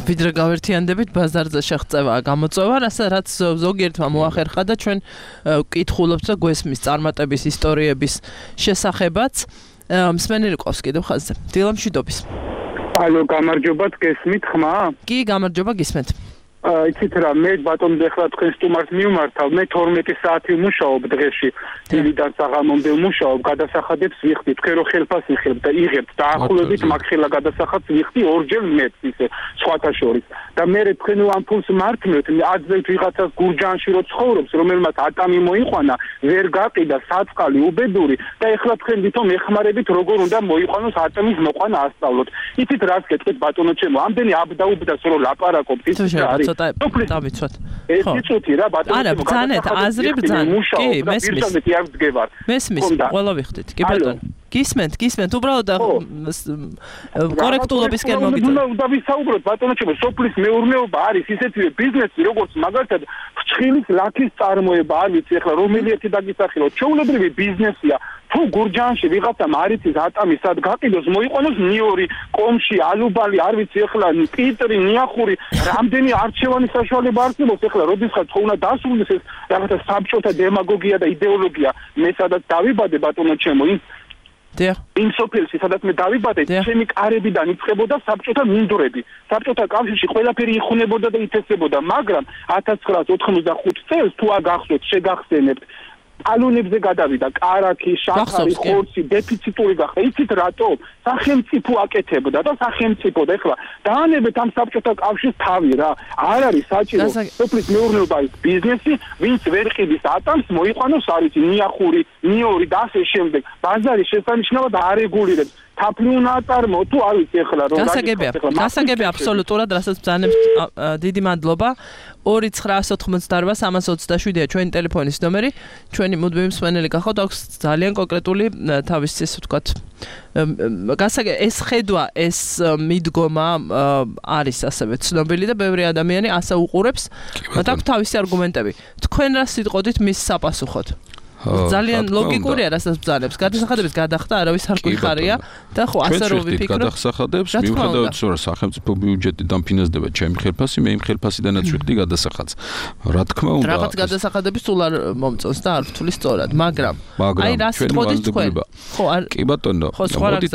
ვიდრე გავერთიანდებით ბაზარზე შეღწევა გამოწვევა, რაც ზოგიერთმა მოახერხა და ჩვენ ვკითხულობთ და გვესმის წარმატების ისტორიების შესახებაც. მსმენელი ყავს კიდევ ხაზზე. დილამშვიდობის. ალო, გამარჯობა, გესმით ხმა? კი, გამარჯობა, გისმენთ. იცით რა მე ბატონო ეხლა თქვენ სტუმარს მივმართავ მე თორმეტი საათი ვმუშაობ დღეში დილიდან საღამომდე ვმუშაობ გადასახადებს ვიხდი თქვენ რო ხელფასი იღებთ და იღებთ დაახლოებით მაგხელა გადასახადს ვიხდი ორჯერ მეტს ისე სხვათა შორის და მე თქვენ ამ ფულს მართმევთ აძებთ ვიღაცას გურჯანში რო ცხოვრობს რომელმაც ატამი მოიყვანა ვერ გაყიდა საწყალი უბედური და ეხლა თქვენ ვითომ ეხმარებით როგორ უნდა მოიყვანოს ატამის მოყვანა ასწავლოთ იცით რას გეტყვით ბატონო ჩემო ამდენი აბდაუბდას რო ლაპარაკობთ იცით რა არის დავიცვათ. ეს იცოთი რა ბატონო არა, ბრძანეთ, აზრი ბრძანეთ. კი, მესმის. მესმის, ყველა ვიხდით. კი ბატონო. გისმენთ, გისმენთ, უბრალოდ კორექტულობისკენ მოგიწევთ. უნდა ვისაუბროთ ბატონო ჩემო, სოფლის მეურნეობა არის ისეთივე ბიზნესი, როგორც მაგალითად ფრჩხილის ლაქის წარმოება, არ ვიცი ახლა რომელი ერთი დაგისახელოთ. ჩვეულებრივი ბიზნესია. თუ გურჯანში ვიღაცამ არიცის ატამი სად გაყიდოს მოიყვანოს ნიორი კომში ალუბალი არ ვიცი ახლა პიტრი ნიახური რამდენი არჩევანის საშუალება არსებობს ახლა როდესაც ხო უნდა დასრულდეს ეს რაღაცა საბჭოთა დემაგოგია და იდეოლოგია მე სადაც დავიბადე ბატონო ჩემო იმ დიახ იმ სოფელში სადაც მე დავიბადე ჩემი კარებიდან იწყებოდა საბჭოთა მინდვრები საბჭოთა კავშირში ყველაფერი იხუნებოდა და ითესებოდა მაგრამ ათას ცხრაას ოთხმოცდახუთ წელს თუ აგახსოვთ შეგახსენებთ ალუნებზე გადავიდა კარაქი, შაქარი, ხორცი, დეფიციტური გახდა. იცით რატო? სახელმწიფო აკეთებდა და სახელმწიფო და ეხლა დაანებეთ ამ საბჭოთა კავშირს თავი რა. არ არის საჭირო სოფლის მეურნეობა ის ბიზნესი, ვინც ვერ ყიდის ატამს, მოიყვანოს არის ნიახური, ნიორი და ასე შემდეგ. ბაზარი შესანიშნავად არეგულირებს. თაფლი უნდა აწარმოო თუ არ ვიცი ეხლა რომ გასაგებია გასაგებია აბსოლუტურად რასაც ბრძანებთ დიდი მადლობა ორი ცხრაას ოთხმოცდაოთხ სამას ოცდაშვიდია ჩვენი ტელეფონის ნომერი ჩვენი მუდმივი მსმენელი გახავთ აქვს ძალიან კონკრეტული თავის ისე ვთქვათ გასაგებია ეს ხედვა ეს მიდგომა არის ასევე ცნობილი და ბევრი ადამიანი ასე უყურებს და აქვს თავისი არგუმენტები თქვენ რა სიტყოდით მის საპასუხოდ ძალიან ლოგიკურია რასაც ბრძანებს გადასახადების გადახდა არავის არ გვიხარია და ხო ასე რომ ვიფიქროთ გადასახადებს მიუხედავად რომ სახელმწიფო ბიუჯეტიდან ფინანსდება ჩემი ხელფასი მე იმ ხელფასიდანაც ვიხდი გადასახადს რა თქმა უნდა რაღაც გადასახადების სულ არ მომწონს და არ ვთვლი სწორად მაგრამ აი რა სიტყოდით თქვენ ხო კი ბატონო მოდით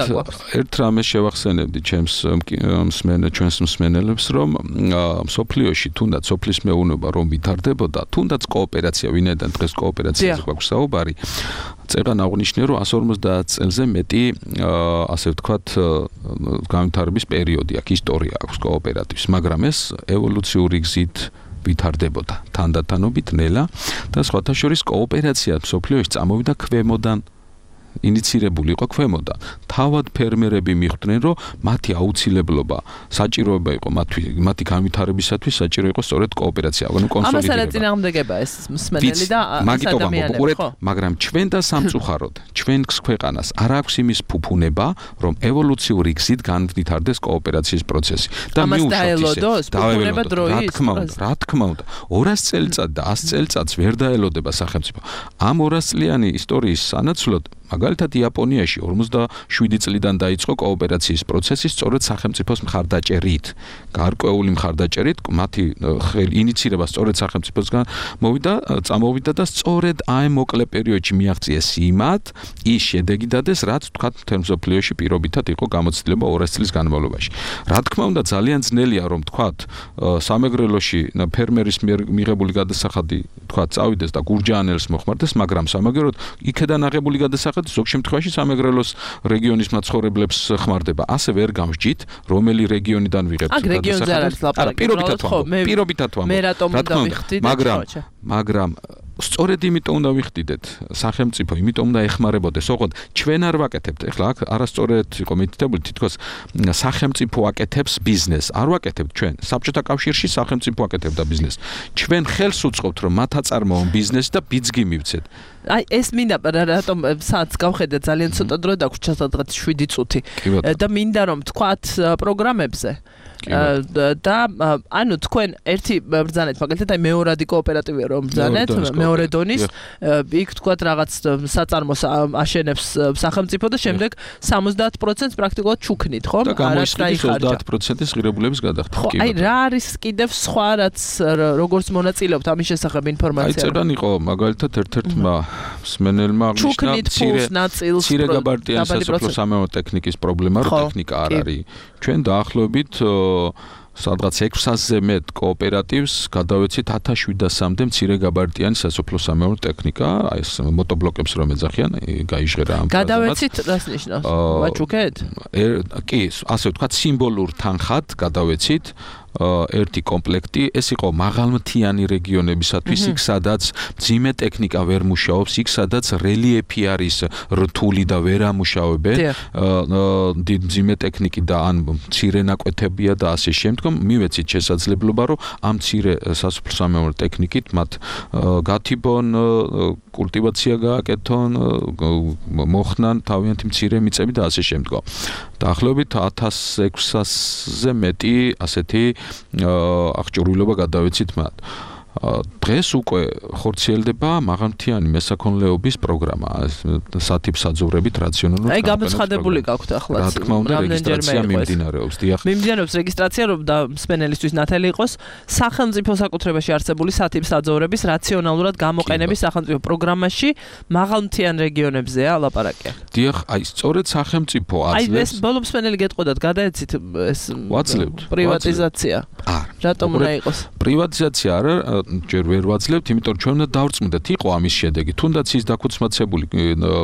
ერთ რამეს შევახსენებდი ჩემს მსმენელს ჩვენს მსმენელებს რომ სოფლიოში თუნდაც სოფლის მეურნეობა რომ ვითარდებოდა თუნდაც კოოპერაცია ვინაიდან დღეს კოოპერაციაზე გვაქვს საუბარი წეგან აღნიშნე რომ εκατს ორმოცდაათ წელზე მეტი ასე ვთქვათ განვითარების პერიოდი აქვს ისტორია აქვს კოოპერატივს მაგრამ ეს ევოლუციური გზით ვითარდებოდა თანდათანობით ნელა და სხვათა შორის კოოპერაცია სოფლიოში წამოვიდა ქვემოდან ინიცირებული იყო ქვემოდან. თავად ფერმერები მიხვდნენ, რომ მათი აუცილებლობა, საჭიროება იყო მათი მათი განვითარებისათვის საჭირო იყო სწორედ კოოპერაცია, ანუ კონსოლიდირება. ამას არაწინააღმდეგება ეს მსმენელი და ადამიანები, ხო? მაგრამ ჩვენ და სამწუხაროდ, ჩვენს ქვეყანას არ აქვს იმის ფუფუნება, რომ ევოლუციური გზით განვითარდეს კოოპერაციის პროცესი. და მიუშვათ ფუფუნება დროის. რა თქმა უნდა, რა თქმა უნდა, ორას წელიწად და ას წელიწადს ვერ დაელოდება სახელმწიფო. ამ ორას წლიანი ისტორიის სანაცვლოდ მაგალითად იაპონიაში ორმოცდაშვიდი წლიდან დაიწყო კოოპერაციის პროცესი სწორედ სახელმწიფოს მხარდაჭერით. გარკვეული მხარდაჭერით მათი ინიცირება სწორედ სახელმწიფოსგან მოვიდა, წამოვიდა და სწორედ აი მოკლე პერიოდში მიაღწიეს იმათ ის შედეგი დადეს, რაც თქვათ მთელ მსოფლიოში პირობითად იყო გამოცდილება ორას წლის განმავლობაში. რა თქმა უნდა ძალიან ძნელია რომ თქვათ სამეგრელოში ფერმერის მიღებული გადასახადი თქვათ წავიდეს და გურჯაანელს მოხმარდეს, მაგრამ სამაგეროდ იქედან აღებული გადასახადი ზოგ შემთხვევაში სამეგრელოს რეგიონის მაცხოვრებლებს ხმარდება. ასე ვერ გამსჯით, რომელი რეგიონიდან ვიღებთ გადასახადებს. პირობითად ვამბობ, პირობითად ვამბობ. მე რატომ უნდა ვიხდიდეთ? მაგრამ მაგრამ სწორედ იმიტომ უნდა ვიხდიდეთ სახელმწიფო, იმიტომ უნდა ეხმარებოდეს. ოღონდ ჩვენ არ ვაკეთებთ. ეხლა აქ არასწორად იყო მითითებული, თითქოს სახელმწიფო აკეთებს ბიზნესს. არ ვაკეთებთ ჩვენ. საბჭოთა კავშირში სახელმწიფო აკეთებდა ბიზნესს. ჩვენ ხელს უწყობთ, რომ მათ აწარმოონ ბიზნესი და ბიძგი მივცეთ. აი ეს მინდა რატომ საათს გავხედე ძალიან ცოტა დრო დაგვრჩა სადღაც შვიდი წუთი და მინდა რომ თქვათ პროგრამებზე და ანუ თქვენ ერთი ბრძანეთ მაგალითად აი მეორადი კოოპერატივია რომ ბრძანეთ მეორე დონის იქ თქვათ რაღაც საწარმოს აშენებს სახელმწიფო და შემდეგ სამოცდაათ პროცენტს პრაქტიკულად ჩუქნით ხო? და გამოიხდის ოცდაათ პროცენტის ღირებულების გადახდა. ხო, აი რა არის კიდევ სხვა რაც როგორც მონაწილეობთ ამის შესახებ ინფორმაცია? აი წერან იყო მაგალითად ერთ-ერთმა მსმენელმა აღნიშნა მცირე გაბარტიანი სასოფლო სამეურნეო ტექნიკის პრობლემა, რომ ტექნიკა არ არის. ჩვენ დაახლოებით სადღაც ექვს ათასზე მეტ კოოპერატივს გადავეცით ათას შვიდასამდე მცირე გაბარიტიანი სასოფლო-სამეურნეო ტექნიკა, აი ეს მოტობლოკებს რომ ეძახიან, გაიჟღერა ამ გადავეცით რას ნიშნავს? ვაჩუქეთ? კი, ასე ვთქვათ, სიმბოლურ თანხად გადავეცით ერთი კომპლექტი, ეს იყო მაღალმთიანი რეგიონებისათვის, იქ სადაც მძიმე ტექნიკა ვერ მუშაობს, იქ სადაც რელიეფი არის რთული და ვერ ამუშავებენ, მძიმე ტექნიკი და ან მცირე ნაკვეთებია და ასე შემდგომ, მივეცით შესაძლებლობა, რომ ამ მცირე სასოფლო-სამეურნეო ტექნიკით მათ გათიბონ, კულტივაცია გააკეთონ, მოხნან თავიანთი მცირე მიწები და ასე შემდგომ. დაახლოებით ათას ექვსასზე მეტი ასეთი აღჭურვილობა გადავეცით მათ. დღეს უკვე ხორციელდება მაღალმთიანი მესაქონლეობის პროგრამა, სათიბსაძოვრებით რაციონალურად. აი გამოცხადებული გაქვთ ახლა. რა თქმა უნდა, რეგისტრაცია მიმდინარეობს. დიახ. მიმდინარეობს რეგისტრაცია, რომ და მსმენელისთვის ნათელი იყოს სახელმწიფო საკუთრებაში არსებული სათიბსაძოვრების რაციონალურად გამოყენების სახელმწიფო პროგრამაში მაღალმთიან რეგიონებზეა ლაპარაკი. დიახ, აი სწორედ სახელმწიფო აძლევს. აი ეს ბოლო მსმენელი გეტყოდათ, გადაეცით ეს ვაძლევთ. პრივატიზაცია. არა. რატომ უნდა იყოს? პრივატიზაცია არა, ჯერ ვერ ვაძლევთ, იმიტომ რომ ჩვენ უნდა დავწმუნდეთ, იყო ამის შედეგი. თუნდაც ის დაქუცმაცებული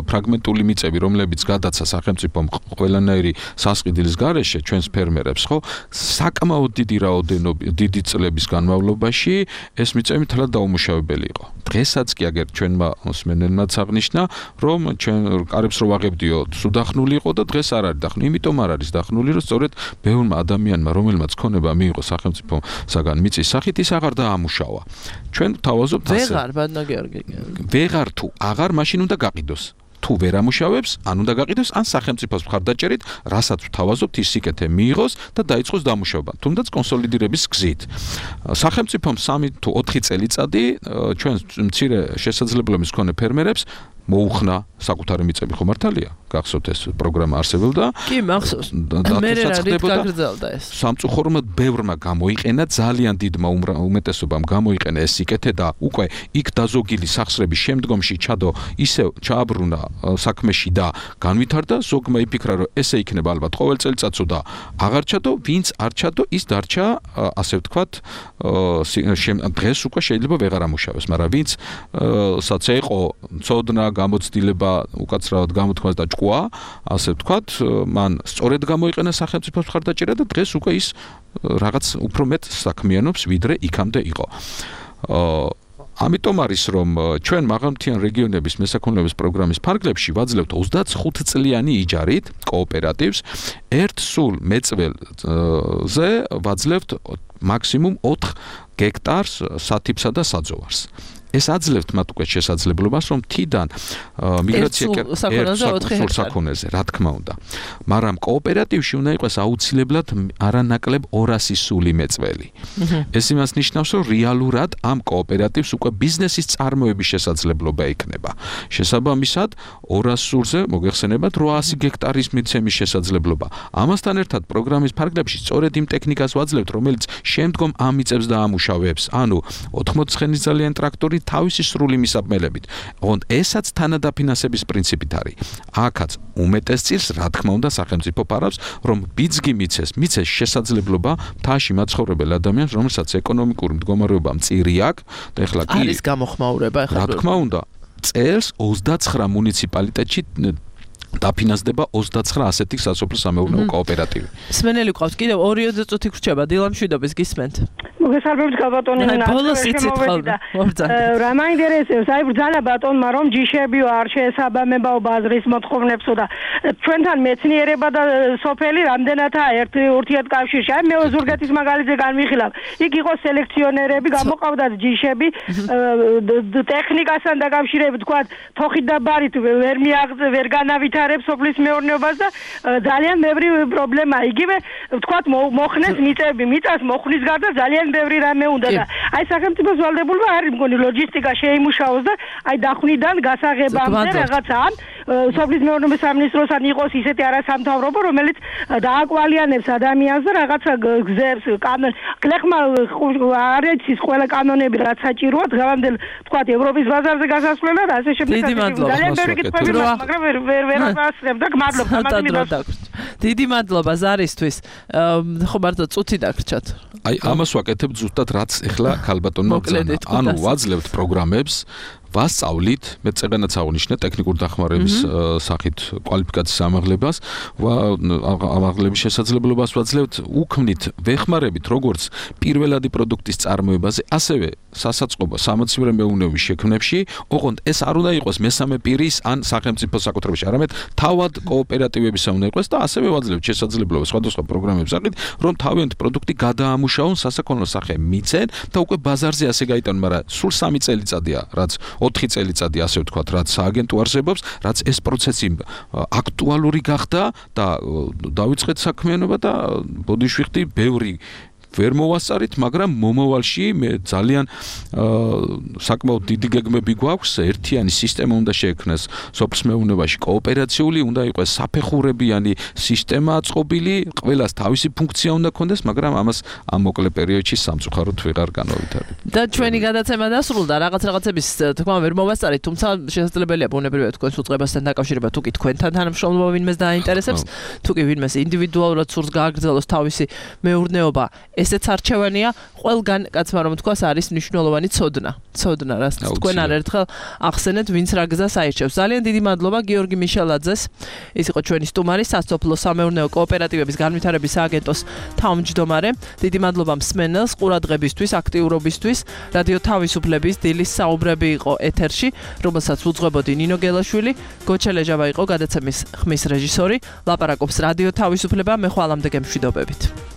ფრაგმენტული მიწები, რომლებიც გადაცა სახელმწიფომ ყველანაირი სასყიდლის გარეშე ჩვენს ფერმერებს, ხო? საკმაოდ დიდი რაოდენობა, დიდი წლების განმავლობაში ეს მიწები მთლად დაუმუშავებელი იყო. დღესაც კი აგერ ჩვენმა მსმენელმაც აღნიშნა, რომ ჩვენ კარებს რო ვაღებდიო, სუდახნული იყო და დღეს არ არის დახნული. იმიტომ არ არის დახნული, რომ სწორედ ბევრმა ადამიანმა, რომელმაც ქონება მიიღო სახელმწიფოსაგან მიწის სახით, ის აღარ დაამუშავა. ჩვენ ვთავაზობთ ასე. ვეღარ, ბატონო გიორგი. ვეღარ თუ აღარ მაშინ უნდა გაყიდოს. თუ ვერ ამუშავებს, ან უნდა გაყიდოს, ან სახელმწიფოს მხარდაჭერით, რასაც ვთავაზობთ, ის სიკეთე მიიღოს და დაიწყოს დამუშავება. თუნდაც კონსოლიდირების გზით. სახელმწიფომ სამი თუ ოთხი წელიწადი ჩვენ მცირე შესაძლებლობის მქონე ფერმერებს მოუხნა საკუთარი მიწები ხო მართალია? გახსოვთ ეს პროგრამა არსებობდა? კი, მახსოვს. მე რა რით გაგრძელდა ეს? სამწუხაროდ ბევრმა გამოიყენა, ძალიან დიდმა უმეტესობამ გამოიყენა ეს სიკეთე და უკვე იქ დაზოგილი სახსრების შემდგომში ჩადო ისევ ჩააბრუნა საქმეში და განვითარდა, ზოგმა იფიქრა, რომ ესე იქნება ალბათ ყოველ წელიწადსო და აღარ ჩადო, ვინც არ ჩადო, ის დარჩა, ასე ვთქვათ, დღეს უკვე შეიძლება ვეღარ ამუშავოს, მაგრამ ვინც საცა იყო ცოდნა გამოცდილება უკაცრავად გამოთქმას და ჭკუა, ასე ვთქვათ, მან სწორედ გამოიყენა სახელმწიფოს მხარდაჭერა და დღეს უკვე ის რაღაც უფრო მეტ საქმიანობს, ვიდრე იქამდე იყო. ამიტომ არის რომ ჩვენ მაღალმთიან რეგიონების მესაქონლეობის პროგრამის ფარგლებში ვაძლევთ ოცდახუთ წლიანი იჯარით კოოპერატივს, ერთ სულ მეწველზე ვაძლევთ მაქსიმუმ ოთხ გექტარს სათიბსა და საძოვარს. ეს აძლევთ მათ უკვე შესაძლებლობას, რომ თიდან მიგრაცია ერთ საქონელზე, რა თქმა უნდა. მაგრამ კოოპერატივში უნდა იყოს აუცილებლად არანაკლებ ორასი სული მეწველი. ეს იმას ნიშნავს, რომ რეალურად ამ კოოპერატივს უკვე ბიზნესის წარმოების შესაძლებლობა ექნება. შესაბამისად, ორასი სულზე მოგეხსენებათ რვაასი გექტარის მიცემის შესაძლებლობა. ამასთან ერთად პროგრამის ფარგლებში სწორედ იმ ტექნიკას ვაძლევთ, რომელიც შემდგომ ამ მიწებს დაამუშავებს, ანუ ოთხმოცდაოთხ ცხენისძალიანი ტრაქტორი თავისი სრული მისაბმელებით. ოღონდ ესაც თანადაფინანსების პრინციპით არის. აქაც უმეტეს წილს, რა თქმა უნდა, სახელმწიფო ფარავს, რომ ბიძგი მიცეს, მიცეს შესაძლებლობა მთაში მაცხოვრებელ ადამიანს, რომელსაც ეკონომიკური მდგომარეობა მწირი აქვს, და ეხლა კი არის გამოხმაურება, ეხლა რა თქმა უნდა, წელს ოცდაცხრა მუნიციპალიტეტში დაფინანსდება ოცდაცხრა ასეთი სასოფლო-სამეურნეო კოოპერატივი. მსმენელი ყავს კიდევ ორიოდე წუთი გრჩება, დილა მშვიდობის გისმენთ. მოგესალმებით გაბატონი ნაცვლად. რა მაინტერესებს, აი ბრძანა ბატონმა რომ ჯიშებიო არ შეესაბამებაო ბაზრის მოთხოვნებსო და ჩვენთან მეცნიერება და სოფელი რამდენადაა ერთ ურთიერთკავშირში. აი მე ზურგეთის მაგალითზე განვიხილავ. იქ იყო სელექციონერები, გამოყავდათ ჯიშები, ტექნიკასთან დაკავშირებით თქვა თოხით და ბარით ვერ მიაღწევ, ვერ განავითარებს სოფლის მეურნეობას და ძალიან ბევრი პრობლემაა. იგივე თქვა მოხნეს მიწები, მიწას მოხნის გარდა ძალიან ბევრი რამე უნდა და აი სახელმწიფოს ვალდებულება არის მგონი ლოჯისტიკა შეიმუშაოს და აი დახვნიდან გასაღებამდე რაღაცა სოფლის მეურნეობის სამინისტროსთან იყოს ისეთი არასამთავრობო, რომელიც დააკვალიანებს ადამიანს და რაღაცა გზებს, კანონ, კლეხმა არ ეცის ყველა კანონები რაც საჭიროა, დღევანდელ თქვა ევროპის ბაზარზე გასასვლელად, ასე შემდეგ. ძალიან ბევრი კითხვები მაქვს, მაგრამ ვერ ვერ ვერ ასწრებ და გმადლობთ ამაზე. დიდი მადლობა ზარისთვის. ხო მარტო წუთი დაგრჩათ. აი ამას ვაკეთებ ზუსტად რაც ეხლა ქალბატონმა ბრძანა. ანუ ვაძლევთ პროგრამებს ვასწავლით, მე წეგანაც აღნიშნე ტექნიკური დახმარების სახით კვალიფიკაციის ამაღლებას, ამაღლების შესაძლებლობას ვაძლევთ, უქმნით, ვეხმარებით როგორც პირველადი პროდუქტის წარმოებაზე, ასევე სასაწყობო სამოცივე მეურნეობის შექმნებში, ოღონდ ეს არ უნდა იყოს მესამე პირის ან სახელმწიფო საკუთრებაში, არამედ თავად კოოპერატივებისა უნდა იყოს და ასევე ვაძლევთ შესაძლებლობას სხვადასხვა პროგრამების სახით, რომ თავიანთი პროდუქტი გადაამუშავონ, სასაქონლო სახე მიცენ და უკვე ბაზარზე ასე გაიტანონ, მაგრამ სულ სამი წელიწადია, რაც ოთხი წელიწადი ასე ვთქვათ, რაც სააგენტო არსებობს, რაც ეს პროცესი აქტუალური გახდა და დავიწყეთ საქმიანობა და ბოდიშვიხდი ბევრი ვერ მოვასწარით, მაგრამ მომავალში მე ძალიან საკმაოდ დიდი გეგმები გვაქვს, ერთიანი სისტემა უნდა შეექმნას სოფლის მეურნეობაში, კოოპერაციული უნდა იყოს საფეხურებიანი სისტემა აწყობილი, ყველას თავისი ფუნქცია უნდა ქონდეს, მაგრამ ამას ამ მოკლე პერიოდში სამწუხაროდ ვეღარ განავითარებთ. და ჩვენი გადაცემა დასრულდა, რაღაც რაღაცების თქმა ვერ მოვასწარით, თუმცა შესაძლებელია ბუნებრივია თქვენს უწყებასთან დაკავშირება, თუ კი თქვენთან თანამშრომლობა ვინმეს დააინტერესებს, თუ კი ვინმეს ინდივიდუალურად სურს გააგრძელოს თავისი მეურნეობა, ესეც არჩევანია, ყველგან კაცმა რომ თქვას არის მნიშვნელოვანი ცოდნა. ცოდნა, რაც თქვენ არ ერთხელ ახსენეთ, ვინც რა გზას აირჩევს. ძალიან დიდი მადლობა გიორგი მიშელაძეს. ის იყო ჩვენი სტუმარი, სასოფლო სამეურნეო კოოპერატივების განვითარების სააგენტოს თავმჯდომარე. დიდი მადლობა მსმენელს ყურადღებისთვის, აქტიურობისთვის. რადიო თავისუფლების დილის საუბრები იყო ეთერში, რომელსაც უძღვებოდი ნინო გელაშვილი, გოჩელეჟავა იყო გადაცემის ხმის რეჟისორი. ლაპარაკობს რადიო თავისუფლება, მე ხვალამდე გემშვიდობებით.